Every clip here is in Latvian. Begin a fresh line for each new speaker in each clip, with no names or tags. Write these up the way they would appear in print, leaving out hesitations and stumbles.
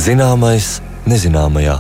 Zināmais nezināmajā.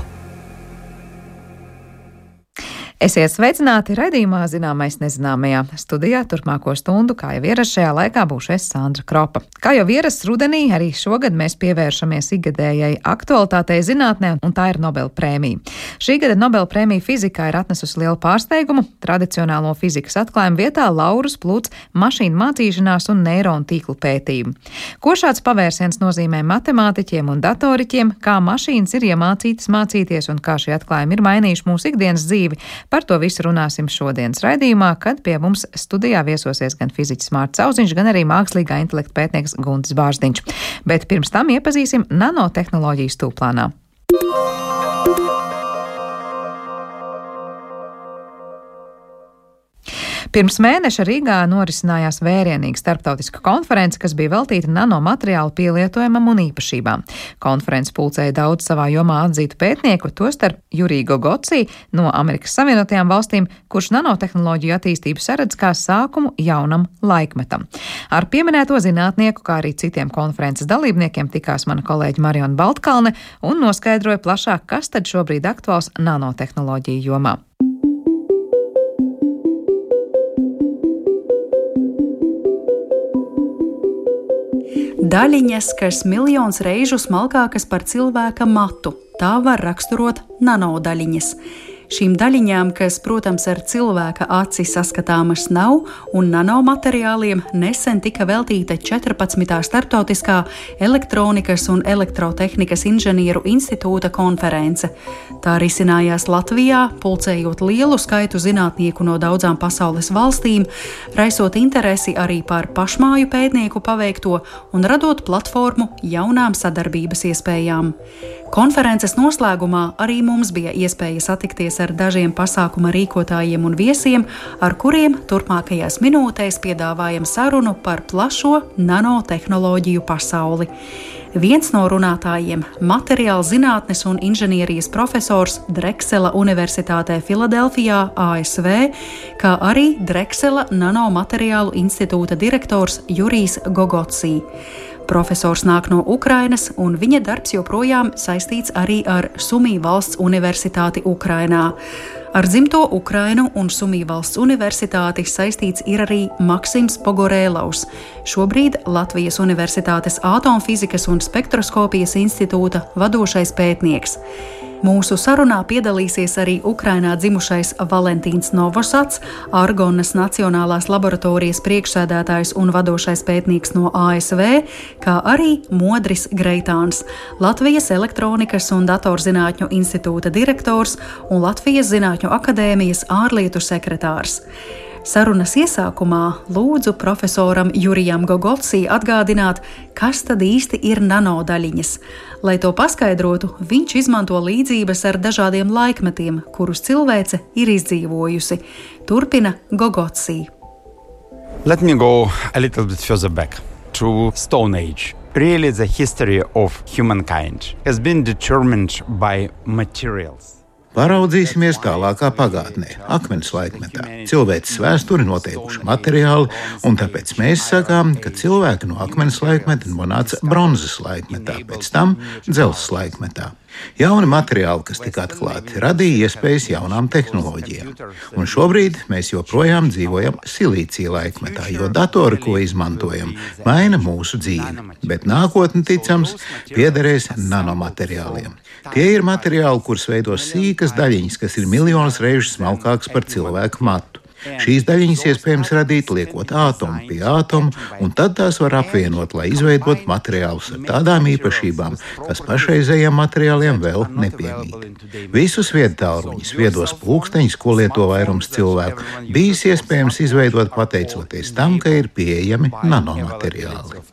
Esiet sveicināti raidījumā Zināmais nezināmajā. Studijā turpmāko stundu, kā jau ierasts šajā laikā, būšu es Sandra Kropa. Kā jau ierasts rudenī, arī šogad mēs pievēršamies ikgadējai aktualitātei zinātnē, un tā ir Nobela prēmija. Šī gada Nobela prēmija fizikā ir atnesusi lielu pārsteigumu. Tradicionālo fizikas atklājumu vietā laurus plūc mašīnu mācīšanās un neironu tīklu pētījumu. Ko šāds pavērsiens nozīmē matemātiķiem un datoriķiem, kā mašīnas ir iemācītas mācīties un kā šie atklājumi ir mainījuši mūsu ikdienas dzīvi? Par to visu runāsim šodienas raidījumā, kad pie mums studijā viesosies gan fiziķis Mārts Auziņš, gan arī mākslīgā intelekta pētnieks Guntis Bārziņš. Bet pirms tam iepazīsim nanotehnoloģiju stūplānā. Pirms mēneša Rīgā norisinājās vērienīga starptautiska konference, kas bija veltīta nanomateriālu pielietojumam un īpašībām. Konferences pulcēja daudz savā jomā atzītu pētnieku, tostarp Juriju Gogotsi no Amerikas Savienotajām valstīm, kurš nanotehnoloģiju attīstību saredz kā sākumu jaunam laikmetam. Ar pieminēto zinātnieku, kā arī citiem konferences dalībniekiem tikās mana kolēģe Mariona Baltkalne un noskaidroja plašāk, kas tad šobrīd aktuāls nanotehnoloģiju jomā.
Daļiņas, kas miljonus reižu smalkākas par cilvēka matu, tā var raksturot nanodaļiņas. Šīm daļiņām, kas, protams, ar cilvēka aci saskatāmas nav, un nanomateriāliem nesen tika veltīta 14. starptautiskā elektronikas un elektrotehnikas inženieru institūta konference. Tā risinājās Latvijā, pulcējot lielu skaitu zinātnieku no daudzām pasaules valstīm, raisot interesi arī par pašmāju pētnieku paveikto un radot platformu jaunām sadarbības iespējām. Konferences noslēgumā arī mums bija iespēja satikties ar dažiem pasākuma rīkotājiem un viesiem, ar kuriem turpmākajās minūtēs piedāvājam sarunu par plašo nanotehnoloģiju pasauli. Viens no runātājiem - materiāla zinātnes un inženierijas profesors Dreksela Universitātē Filadelfijā, ASV, kā arī Dreksela Nanomateriālu institūta direktors Jurijs Gogotsi. Profesors nāk no Ukrainas, un viņa darbs joprojām saistīts arī ar Sumī valsts universitāti Ukrainā. Ar dzimto Ukrainu un Sumī valsts universitāti saistīts ir arī Maksims Pogorēlaus, šobrīd Latvijas Universitātes Atomfizikas un spektroskopijas institūta vadošais pētnieks. Mūsu sarunā piedalīsies arī Ukrainā dzimušais Valentīns Novosats, Argonas Nacionālās laboratorijas priekšsēdētājs un vadošais pētnieks no ASV, kā arī Modris Greitāns, Latvijas Elektronikas un datorzinātņu institūta direktors un Latvijas Zinātņu akadēmijas ārlietu sekretārs. Sarunas iesākumā lūdzu profesoram Jurijam Gogotsi atgādināt, kas tad īsti ir nanodaļiņas. Lai to paskaidrotu, viņš izmanto līdzības ar dažādiem laikmetiem, kurus cilvēce ir izdzīvojusi. Turpina Gogotsi.
Let me go a little bit further back to Stone Age. Really, the history of humankind has been determined by materials.
Paraudzīsimies tālākā pagātnē, akmens laikmetā. Cilvēces vēsturi noteikuši materiāli, un tāpēc mēs sakām, ka cilvēki no akmens laikmeta nonāca bronzas laikmetā, pēc tam dzelzs laikmetā. Jauni materiāli, kas tika atklāti, radīja iespējas jaunām tehnoloģijām. Un šobrīd mēs joprojām dzīvojam silīcija laikmetā, jo datori, ko izmantojam, maina mūsu dzīvi. Bet nākotne, ticams, piederēs nanomateriāliem. Tie ir materiāli, kurus veido sīkas daļiņas, kas ir miljonus reižu smalkākas par cilvēku matu. Šīs daļiņas iespējams radīt liekot ātomu pie ātoma, un tad tās var apvienot, lai izveidotu materiālus ar tādām īpašībām, kas pašreizējiem materiāliem vēl nepiemīt. Visus viedtālruņus, viedos pulksteņus, ko lieto vairums cilvēku, bijis iespējams izveidot pateicoties tam, ka ir pieejami nanomateriāli.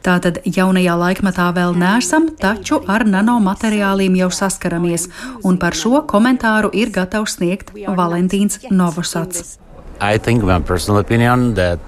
Tātad jaunajā laikmetā vēl neesam, taču ar nanomateriāliem jau saskaramies, un par šo komentāru ir gatavs sniegt Valentīns Novosats.
I think, my personal opinion, that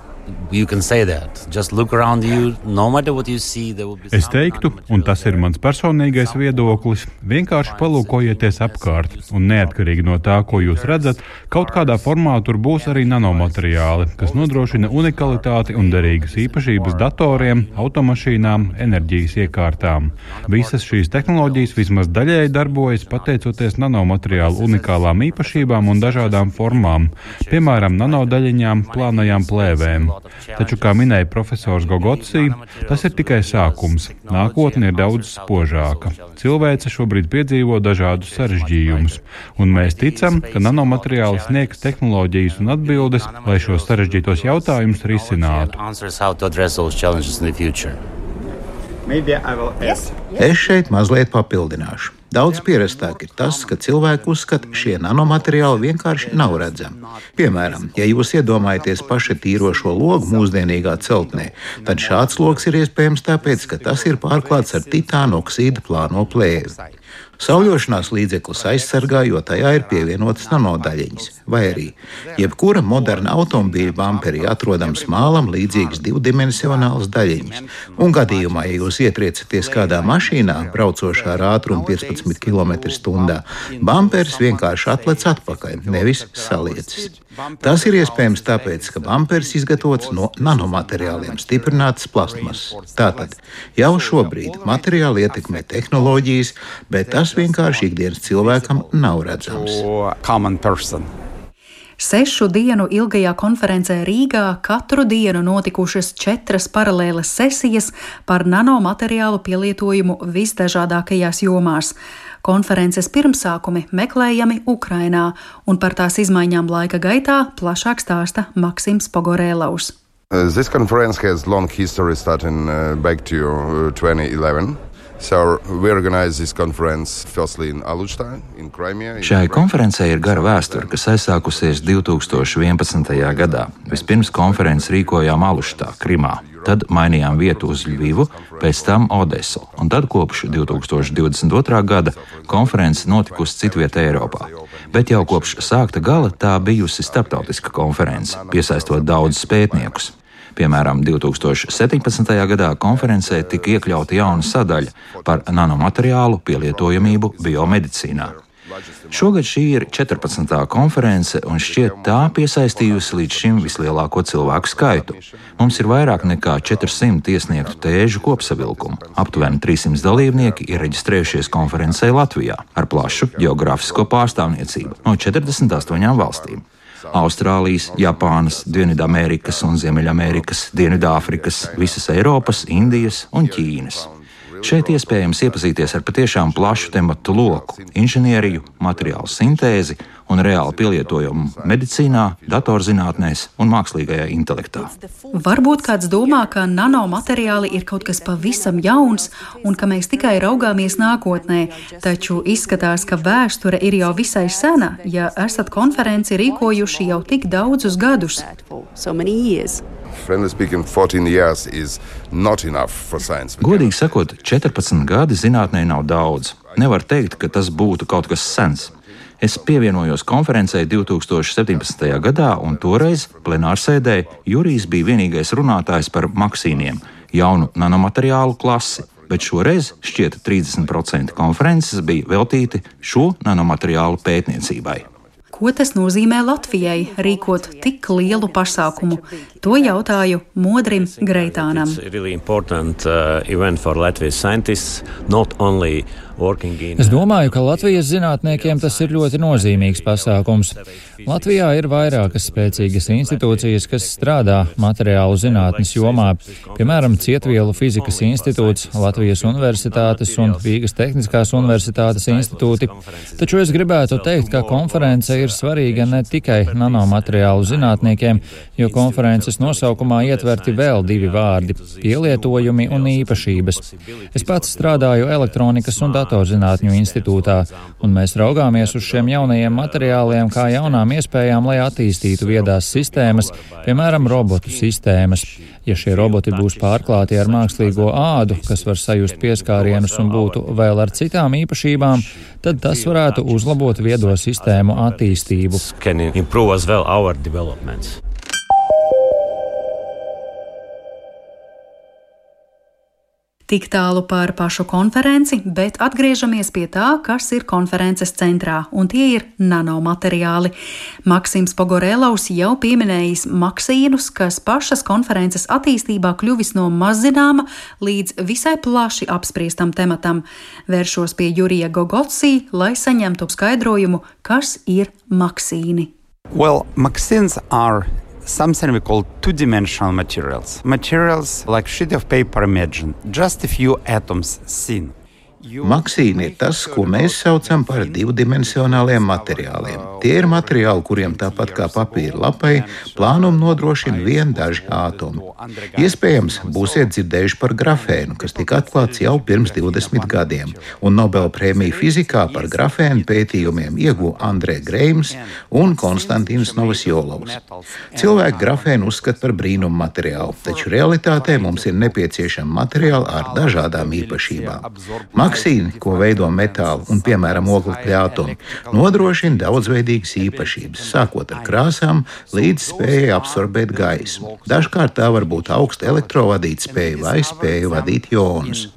Es teiktu, un tas ir mans personīgais viedoklis, vienkārši palūkojieties apkārt, un neatkarīgi no tā, ko jūs redzat, kaut kādā formā tur būs arī nanomateriāli, kas nodrošina unikalitāti un derīgas īpašības datoriem, automašīnām, enerģijas iekārtām. Visas šīs tehnoloģijas vismaz daļēji darbojas pateicoties nanomateriālu unikālām īpašībām un dažādām formām, piemēram, nanodaļiņām, plānajām plēvēm. Taču, kā minēja profesors Gogotsī, tas ir tikai sākums. Nākotne ir daudz spožāka. Cilvēce šobrīd piedzīvo dažādus sarežģījumus, un mēs ticam, ka nanomateriāli sniegs tehnoloģijas un atbildes, lai šos sarežģītos jautājumus risinātu.
Es šeit mazliet papildināšu. Daudz pierastāk ir tas, ka cilvēki uzskata, šie nanomateriāli vienkārši nav redzami. Piemēram, ja jūs iedomājaties paši tīrošo logu mūsdienīgā celtnē, tad šāds logs ir iespējams tāpēc, ka tas ir pārklāts ar titāna oksīda plāno plēvi. Sauļošanās līdzeklis aizsargā, jo tajā ir pievienotas nanodaļiņas, vai arī jebkura moderna automobīļa bamperī atrodams mālam līdzīgas divdimensionālas daļiņas. Un gadījumā, ja jūs ietriecaties kādā mašīnā, braucošā ar ātrumu 15 km/h, bamperis vienkārši atlec atpakaļ, nevis saliecis. Tas ir iespējams tāpēc, ka bamperis izgatavots no nanomateriāliem stiprinātas plastmasas. Tātad jau šobrīd materiāli ietekmē tehnoloģijas, bet tas vienkārši ikdienas cilvēkam nav redzams.
6 dienu ilgajā konferencē Rīgā katru dienu notikušas 4 paralēlas sesijas par nanomateriālu pielietojumu visdažādākajās jomās. Konferences pirmsākumi meklējami Ukrainā, un par tās izmaiņām laika gaitā plašāk stāsta Maksims Pogorēlaus.
This conference has long history starting back to 2011. So we organized this conference firstly in Alushta, in Crimea.
Šai konferencei ir gara vēsture, kas aizsākusies 2011. gadā. Vispirms konferenci rīkojām Aluštā, Krimā. Tad mainījām vietu uz Ļvivu, pēc tam Odesu, un tad kopš 2022. gada konference notikusi citvietā Eiropā. Bet jau kopš sākta gala tā bijusi starptautiska konference, piesaistot daudzus pētniekus. Piemēram, 2017. gadā konferencē tika iekļauta jauna sadaļa par nanomateriālu pielietojamību biomedicīnā. Šogad šī ir 14. konference, un šķiet tā piesaistījusi līdz šim vislielāko cilvēku skaitu. Mums ir vairāk nekā 400 iesniegtu tēžu kopsavilkumu. Aptuveni 300 dalībnieki ir reģistrējušies konferencē Latvijā ar plašu geogrāfisko pārstāvniecību no 48 valstīm. Austrālijas, Japānas, Dienvidamerikas un Ziemeļamerikas, Dienvidāfrikas, visas Eiropas, Indijas un Ķīnas. Šeit iespējams iepazīties ar patiešām plašu tematu loku - inženieriju, materiālu sintēzi un reāli pielietojumu medicīnā, datorzinātnēs un mākslīgajā intelektā.
Varbūt kāds domā, ka nanomateriāli ir kaut kas pavisam jauns un ka mēs tikai raugāmies nākotnē, taču izskatās, ka vēsture ir jau visai sena, ja esat konferenci rīkojuši jau tik daudzus gadus.
Godīgi sakot, 14 gadi zinātnē nav daudz. Nevar teikt, ka tas būtu kaut kas sens. Es pievienojos konferencei 2017. gadā, un toreiz plenārsēdē Jurijs bija vienīgais runātājs par maksīniem, jaunu nanomateriālu klasi, bet šoreiz šķiet 30% konferences bija veltīti šo nanomateriālu pētniecībai.
Ko tas nozīmē Latvijai rīkot tik lielu pasākumu? To jautāju Modrim Greitānam.
Es domāju, ka Latvijas zinātniekiem tas ir ļoti nozīmīgs pasākums. Latvijā ir vairākas spēcīgas institūcijas, kas strādā materiālu zinātnes jomā, piemēram, Cietvielu fizikas institūts, Latvijas universitātes un Rīgas Tehniskās universitātes institūti. Taču es gribētu teikt, ka konference ir svarīga ne tikai nanomateriālu zinātniekiem, jo konferences nosaukumā ietverti vēl 2 vārdi - pielietojumi un īpašības. Es pats strādāju elektronikas un datorzinātņu institūtā, un mēs raugāmies uz šiem jaunajiem materiāliem kā jaunām iespējām, lai attīstītu viedās sistēmas, piemēram, robotu sistēmas. Ja šie roboti būs pārklāti ar mākslīgo ādu, kas var sajust pieskārienus un būtu vēl ar citām īpašībām, tad tas varētu uzlabot viedo sistēmu attīstību.
Tik tālu par pašu konferenci, bet atgriežamies pie tā, kas ir konferences centrā, un tie ir nanomateriāli. Maksims Pogorelovs jau pieminējis maksīnus, kas pašas konferences attīstībā kļuvis no mazzināma līdz visai plaši apspriestam tematam. Vēršos pie Jurija Gogotsī, lai saņemtu skaidrojumu, kas ir maksīni.
Well, maksīns are something we call two-dimensional materials. Materials like sheet of paper, imagine, just a few atoms thin.
Maksīni ir tas, ko mēs saucam par divdimensionāliem materiāliem. Tie ir materiāli, kuriem tāpat kā papīra lapai, plānumu nodrošina vien daži ātomi. Iespējams, būsiet dzirdējuši par grafēnu, kas tika atklāts jau pirms 20 gadiem, un Nobelprēmiju fizikā par grafēnu pētījumiem ieguva Andrē Greims un Konstantīns Novosjolovs. Cilvēki grafēnu uzskata par brīnumu materiālu, taču realitātē mums ir nepieciešami materiāli ar dažādām īpašībām. Maksīni, ko veido metāli un, piemēram, oglekļa atomi, nodrošina daudzveidīgas īpašības, sākot ar krāsām līdz spējai absorbēt gaismu. Dažkārt tā var būt augsta elektrovadīt spēja vai spēja vadīt ionus.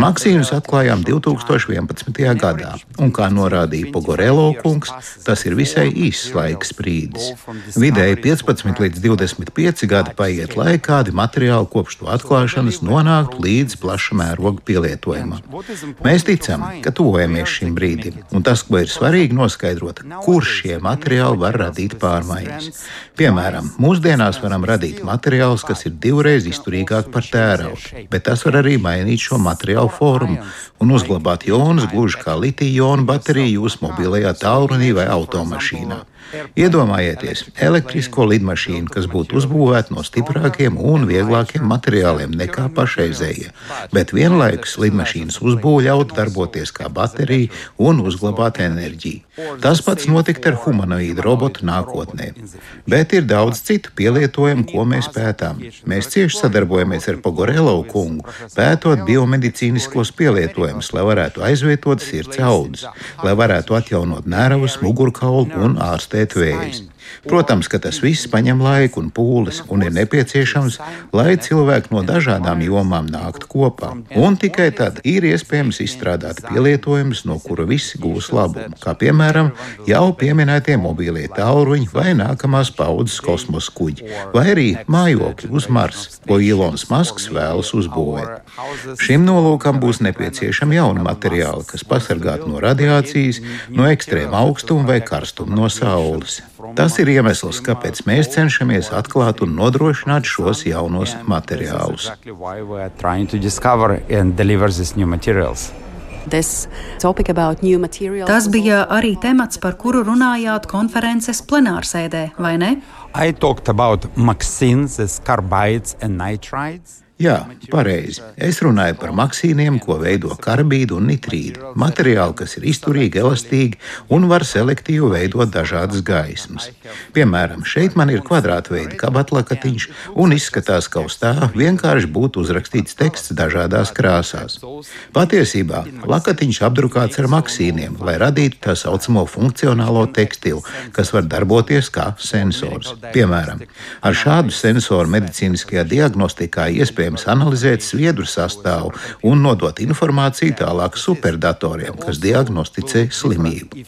Maksīnus atklājām 2011. gadā, un, kā norādīja Pogorelov kungs, tas ir visai īss laika sprīdis. Vidēji 15 līdz 25 gadi paiet, lai kādi materiāli kopš to atklāšanas nonāktu līdz plaša mēroga pielietojumam. Mēs ticam, ka tuvojamies šim brīdim, un tas, ko ir svarīgi noskaidrot, kur šie materiāli var radīt pārmaiņas. Piemēram, mūsdienās varam radīt materiālus, kas ir divreiz izturīgāki par tēraudu, bet tas var arī mainīt šo materiālu formu un uzglabāt ionus gluži kā litija-ionu bateriju jūsu mobilajā tālrunī vai automašīnā. Iedomājieties elektrisko lidmašīnu, kas būtu uzbūvēta no stiprākiem un vieglākiem materiāliem nekā pašreizējie, bet vienlaikus lidmašīnas uzbūve ļautu darboties kā baterija un uzglabāt enerģiju. Tas pats notiktu ar humanoīdu robotu nākotnē. Bet ir daudz citu pielietojumu, ko mēs pētām. Mēs cieši sadarbojamies ar Pogorelovu kungu, pētot biomedicīniskos pielietojumus, lai varētu aizvietot sirds audus, lai varētu atjaunot nervus, mugurkaulu un ārstēt vējus. Protams, ka tas viss paņem laiku un pūles, un ir nepieciešams, lai cilvēki no dažādām jomām nāktu kopā. Un tikai tad ir iespējams izstrādāt pielietojumus, no kura visi gūs labumu, kā piemēram jau pieminētie mobīlie tālruņi vai nākamās paudzes kosmosa kuģi, vai arī mājokļi uz Marsa, ko Ilons Masks vēlas uzbūvēt. Šim nolūkam būs nepieciešami jauni materiāli, kas pasargātu no radiācijas, no ekstrēma augstuma vai karstuma no saules. Tas ir iemesls, kāpēc mēs cenšamies atklāt un nodrošināt šos jaunos materiālus.
Tas bija arī temats, par kuru runājāt konferences plenārsēdē, vai ne?
I talked about maksīns, carbides and nitrides.
Jā, pareizi. Es runāju par maksīniem, ko veido karbīdi un nitrīdi. Materiāli, kas ir izturīgi, elastīgi un var selektīvi veidot dažādas gaismas. Piemēram, šeit man ir kvadrātveida kabatlakatiņš un izskatās, ka uz tā vienkārši būtu uzrakstīts teksts dažādās krāsās. Patiesībā lakatiņš apdrukāts ar maksīniem, lai radītu tā saucamo funkcionālo tekstilu, kas var darboties kā sensors. Piemēram, ar šādu sensoru medicīniskajā diagnostikā iespējams analizēt sviedru sastāvu un nodot informāciju tālāk superdatoriem, kas diagnosticē slimību.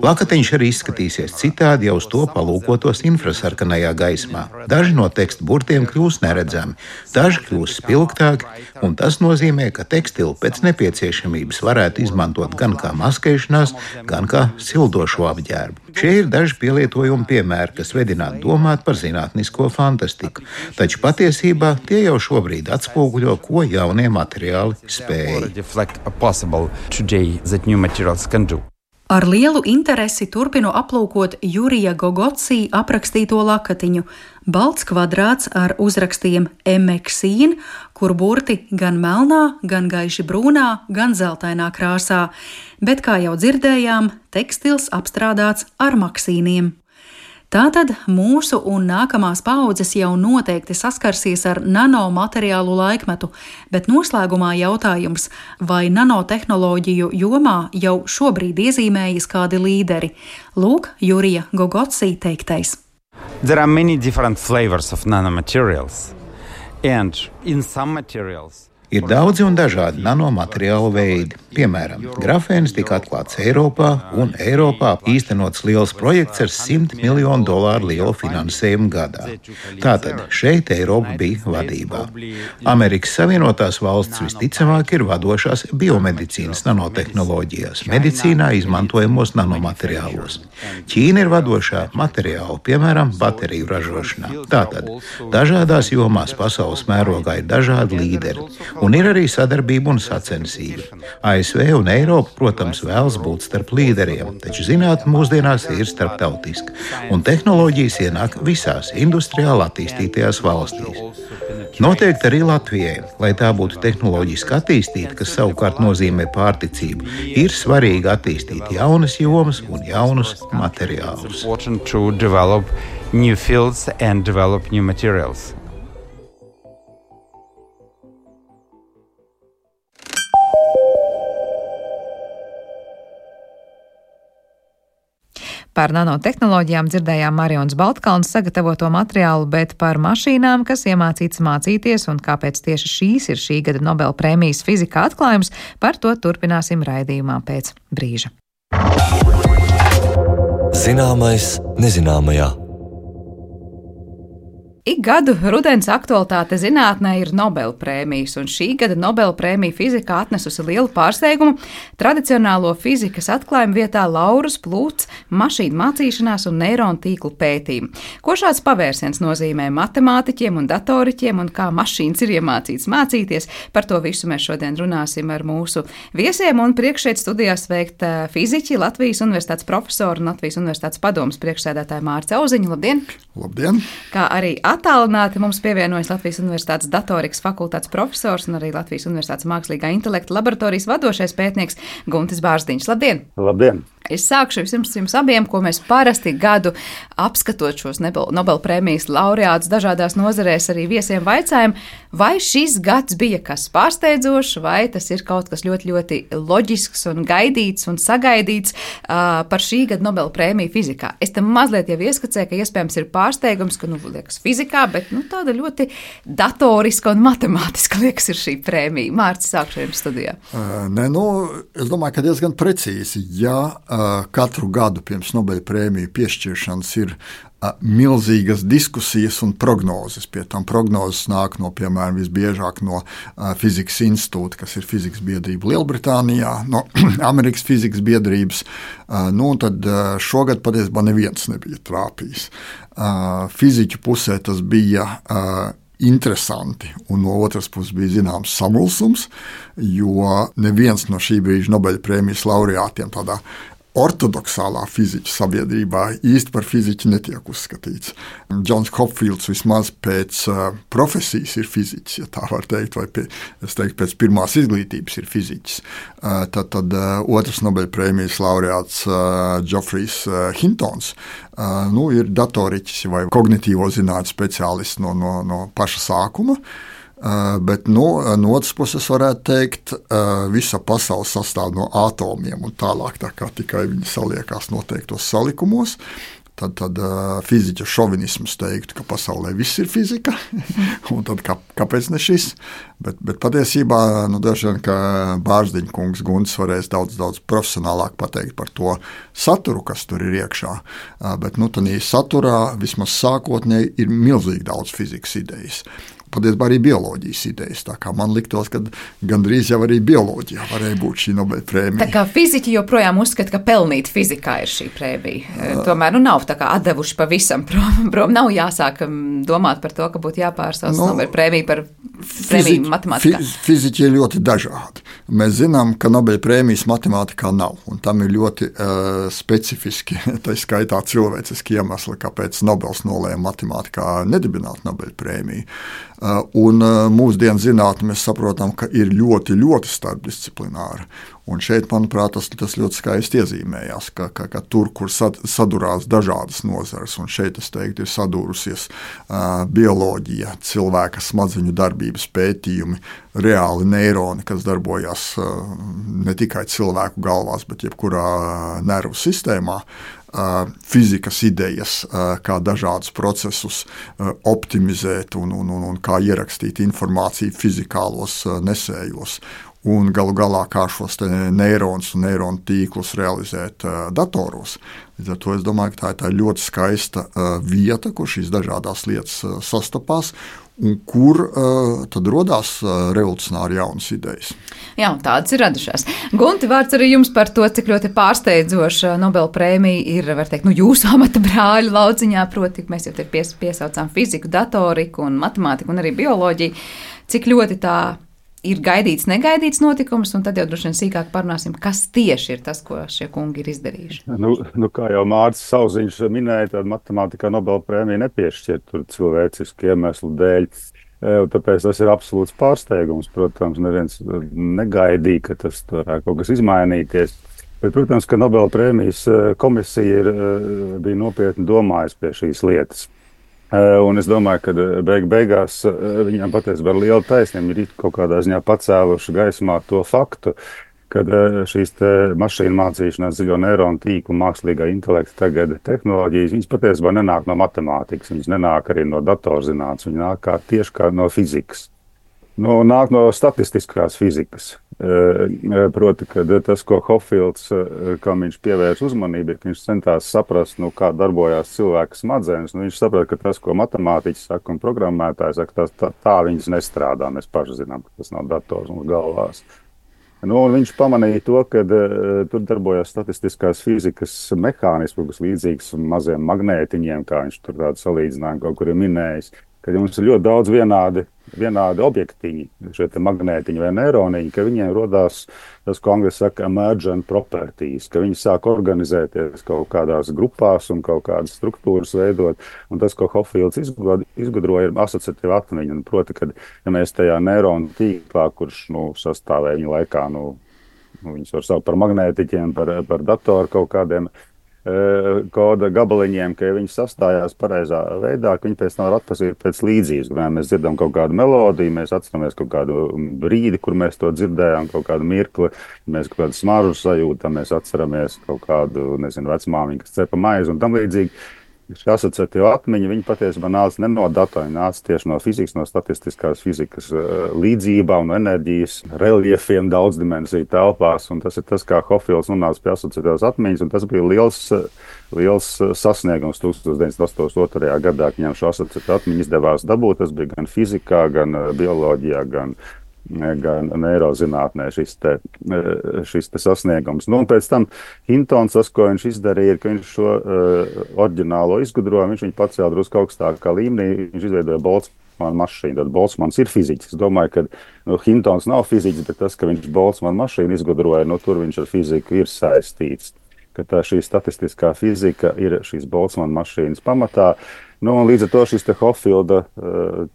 Lakatiņš arī izskatīsies citādi, ja uz to palūkotos infrasarkanajā gaismā. Daži no teksta burtiem kļūs neredzami, daži kļūs spilgtāki, un tas nozīmē, ka tekstilu pēc nepieciešamības varētu izmantot gan kā maskēšanās, gan kā sildošo apģērbu. Šie ir daži pielietojumi piemēri, kas vedinātu domāt par zinātnisko fantastiku, taču patiesībā tie jau šobrīd atspoguļo, ko jaunie materiāli spēj.
Ar lielu interesi turpinu aplūkot Jurija Gogotsī aprakstīto lakatiņu. Balts kvadrāts ar uzrakstiem Maksīn, kur burti gan melnā, gan gaiši brūnā, gan zeltainā krāsā. Bet, kā jau dzirdējām, tekstils apstrādāts ar maksīniem. Tātad mūsu un nākamās paaudzes jau noteikti saskarsies ar nanomateriālu laikmetu, bet noslēgumā jautājums, vai nanotehnoloģiju jomā jau šobrīd iezīmējas kādi līderi? Lūk, Jurija Gogotsī teiktais.
There are many different flavors of nanomaterials, and in some materials
Ir daudzi un dažādi nanomateriālu veidi. Piemēram, grafēns tika atklāts Eiropā, un Eiropā īstenots liels projekts ar $100 miljonu lielu finansējumu gadā. Tātad šeit Eiropa bija vadībā. Amerikas Savienotās valstis visticamāk ir vadošās biomedicīnas nanotehnoloģijās, medicīnā izmantojamos nanomateriālos. Ķīna ir vadošā materiālu, piemēram, bateriju ražošanā. Tātad dažādās jomās pasaules mērogā ir dažādi līderi. Un ir arī sadarbība un sacensība. ASV un Eiropa, protams, vēlas būt starp līderiem, taču zinātne mūsdienās ir starptautiska, un tehnoloģijas ienāk visās industriāli attīstītajās valstīs. Noteikti arī Latvijai, lai tā būtu tehnoloģiski attīstīta, kas savukārt nozīmē pārticību, ir svarīgi attīstīt jaunas jomas un jaunus materiālus.
Par nanotehnoloģijām dzirdējām Marijonas Baltkalnes sagatavoto materiālu, bet par mašīnām, kas iemācītas mācīties un kāpēc tieši šīs ir šī gada Nobela prēmijas fizikā atklājums, par to turpināsim raidījumā pēc brīža.
Zināmais nezināmajā.
Ik gadu rudens aktualitāte zinātnē ir Nobela prēmijas, un šī gada Nobela prēmija fizikā atnesusi lielu pārsteigumu. Tradicionālo fizikas atklājumu vietā laurus plūts mašīnu mācīšanās un neironu tīklu pētījumu. Ko šāds pavērsiens nozīmē matemātiķiem un datoriķiem un kā mašīnas ir iemācītas mācīties? Par to visu mēs šodien runāsim ar mūsu viesiem, un priekš šeit studijā sveikt fiziķi, Latvijas Universitātes profesoru un Latvijas Universitātes padomes priekšsēdētāju Mārci Auziņu. Labdien!
Labdien!
Kā arī attālināti mums pievienojas Latvijas Universitātes datorikas fakultātes profesors un arī Latvijas Universitātes mākslīgā intelekta laboratorijas vadošais pētnieks Guntis Bārzdiņš. Labdien!
Labdien!
Es sākšu jums abiem, ko mēs parasti gadu apskatot šos Nobela prēmijas laureātus dažādās nozarēs arī viesiem vaicājam, vai šis gads bija kas pārsteidzošs, vai tas ir kaut kas ļoti, ļoti loģisks un gaidīts un sagaidīts par šī gada Nobela prēmiju fizikā. Es tam mazliet jau ieskacēju, ka iespējams ir pārsteigums, ka, liekas fizikā, bet, tāda ļoti datoriska un matemātiska, liekas, ir šī prēmija. Mārcis, sākšu jums studijā.
Es domāju, ka diezgan precīzi, katru gadu pirms Nobela prēmiju piešķiršanas ir milzīgas diskusijas un prognozes. Pie tam prognozes nāk no, piemēram, visbiežāk no Fizikas institūta, kas ir fizikas biedrība Lielbritānijā, no Amerikas fizikas biedrības. Un tad šogad patiesībā neviens nebija trāpījis. Fiziķu pusē tas bija interesanti, un no otras puses bija zināms samulsums, jo neviens no šī brīža Nobela prēmijas laureātiem tādā ortodoksālā fiziķu sabiedrībā īsti par fiziķu netiek uzskatīts. Džons Hopfields vismaz pēc profesijas ir fiziķis, ja tā var teikt, vai pēc pirmās izglītības ir fiziķis. Tad otrs Nobela prēmijas laureāts Geoffrey's Hintons ir datoriķis vai kognitīvo zinātņu speciālists no paša sākuma. Bet no otras puses varētu teikt, visa pasaule sastāv no atomiem un tālāk, tā kā tikai viņi saliekās noteiktos salikumos. Tad fiziķa šovinisms teiktu, ka pasaulē viss ir fizika, un tad kāpēc ne šis? Bet patiesībā, daži vien, ka Bārzdiņa kungs Guntis varēs daudz profesionālāk pateikt par to saturu, kas tur ir iekšā. Bet tādā saturā vismaz sākotnēji ir milzīgi daudz fizikas idejas. Patiesībā arī bioloģijas idejas. Tā kā man liktos, ka gandrīz jau arī bioloģijā varēja būt šī Nobela prēmija.
Tā kā fiziķi joprojām uzskata, ka pelnīt fizikā ir šī prēmija. Tomēr nav tā kā atdevuši pavisam prom. Nav jāsāk domāt par to, ka būtu jāpārsauc Nobela prēmija par prēmiju matemātikā.
Fiziķi ir ļoti dažādi. Mēs zinām, ka Nobela prēmijas matemātikā nav, un tam ir ļoti specifiski, tā skaitā cilvēciski iemesli, kāpēc Nobels nolēma matemātikā nedibināt Nobela prēmiju. Un mūsdienu zinātne mēs saprotam, ka ir ļoti, ļoti starpdisciplināra. Un šeit, manuprāt, tas ļoti skaisti iezīmējās, ka tur, kur sadurās dažādas nozares, un šeit, es teiktu, ir sadūrusies bioloģija, cilvēka smadzeņu darbības veselības pētījumi, reāli neironi, kas darbojas ne tikai cilvēku galvās, bet jebkurā nervu sistēmā, fizikas idejas, kā dažādus procesus optimizēt un kā ierakstīt informāciju fizikālos nesējos. Un galu galā, kā šos neironus un neironu tīklus realizēt datoros. Līdz ar to es domāju, ka tā ir ļoti skaista vieta, kur šīs dažādās lietas sastapās un kur tad rodās revolucionāri jaunas idejas.
Jā, un tādas ir radušās. Gunti, vārds arī jums par to, cik ļoti pārsteidzoša Nobela prēmija ir, var teikt, jūsu amata brāļu lauciņā, proti, mēs jau te piesaucām fiziku, datoriku un matemātiku un arī bioloģiju, cik ļoti tā ir gaidīts, negaidīts notikums, un tad jau droši vien sīkāk parunāsim, kas tieši ir tas, ko šie kungi ir izdarījuši.
Kā jau Mārcis Sauziņš minēja, tad matemātikā Nobela prēmija nepiešķiet tur cilvēcisku iemeslu dēļ. Tāpēc tas ir absolūts pārsteigums. Protams, neviens negaidīja, ka tas varētu kaut kas izmainīties. Bet, protams, ka Nobela prēmijas komisija bija nopietni domājusi pie šīs lietas. Un es domāju, ka beigās viņam patiesībā ar lielu taisnību ir kaut kādā ziņā pacēluši gaismā to faktu, ka šīs mašīnu mācīšanās, dziļo neironu tīklu, mākslīgā intelekta tagad tehnoloģijas, viņas patiesībā nenāk no matemātikas, viņas nenāk arī no datorzinātnes, viņas nāk tieši kā no fizikas. Nāk no statistiskās fizikas. Proti, ka tas, ko Hoffields, kam viņš pievērš uzmanību, ir, ka viņš centās saprast, kā darbojās cilvēka smadzenes. Viņš saprata, ka tas, ko matemātiķis saka un programmētājs saka, tā viņas nestrādā. Mēs paši zinām, ka tas nav dators mums galvās. Viņš pamanīja to, ka tur darbojās statistiskās fizikas mehānismi, kas līdzīgs maziem magnētiņiem, kā viņš tur tādu salīdzinājumu kaut kur ir minējis. Kad mums ir ļoti daudz vienādi objektiņi, šie magnētiņi vai neironiņi, ka viņiem rodās tas, ko angļuiski saka emergent properties, ka viņi sāk organizēties kaut kādās grupās un kaut kādas struktūras veidot. Un tas, ko Hoffields izgudroja, ir asociatīva atmiņa. Proti, ka ja mēs tajā neironu tīklā, kurš sastāvēja viņa laikā, viņus var saukt par magnētiķiem, par datoru kaut kādiem koda gabaliņiem, ka viņi sastājās pareizā veidā, ka viņi pēc tam var atpazīt pēc līdzības. Mēs dzirdam kaut kādu melodiju, mēs atceramies kaut kādu brīdi, kur mēs to dzirdējām, kaut kādu mirkli, mēs kaut kādu smaržu sajūtam, mēs atceramies kaut kādu, vecmāmiņu, kas cepa maizi un tam līdzīgi. Šī asociatīva atmiņa, viņa patiesībā nāca ne no datora, nāca tieši no fizikas, no statistiskās fizikas līdzībā un enerģijas reliefiem daudzdimensiju telpās. Un tas ir tas, kā Hoffields nonāca pie asociatīvās atmiņas, un tas bija liels sasniegums 1982. Gadā, ka viņam šo asociatīvu atmiņu izdevās dabūt. Tas bija gan fizikā, gan bioloģijā, gan neirozinātnē šis sasniegums. Un pēc tam Hintons, tas, ko viņš izdarīja, ir, ka viņš šo oriģinālo izgudrojumu, viņš viņu pacēla drusku augstākā līmenī, viņš izveidoja Boltzmann mašīnu. Tad Boltzmanns ir fiziķis. Es domāju, ka Hintons nav fiziķis, bet tas, ka viņš Boltzmann mašīnu izgudroja, tur viņš ar fiziku ir saistīts. Ka šī statistiskā fizika ir šīs Boltzmann mašīnas pamatā. Līdz ar to šis Hoffielda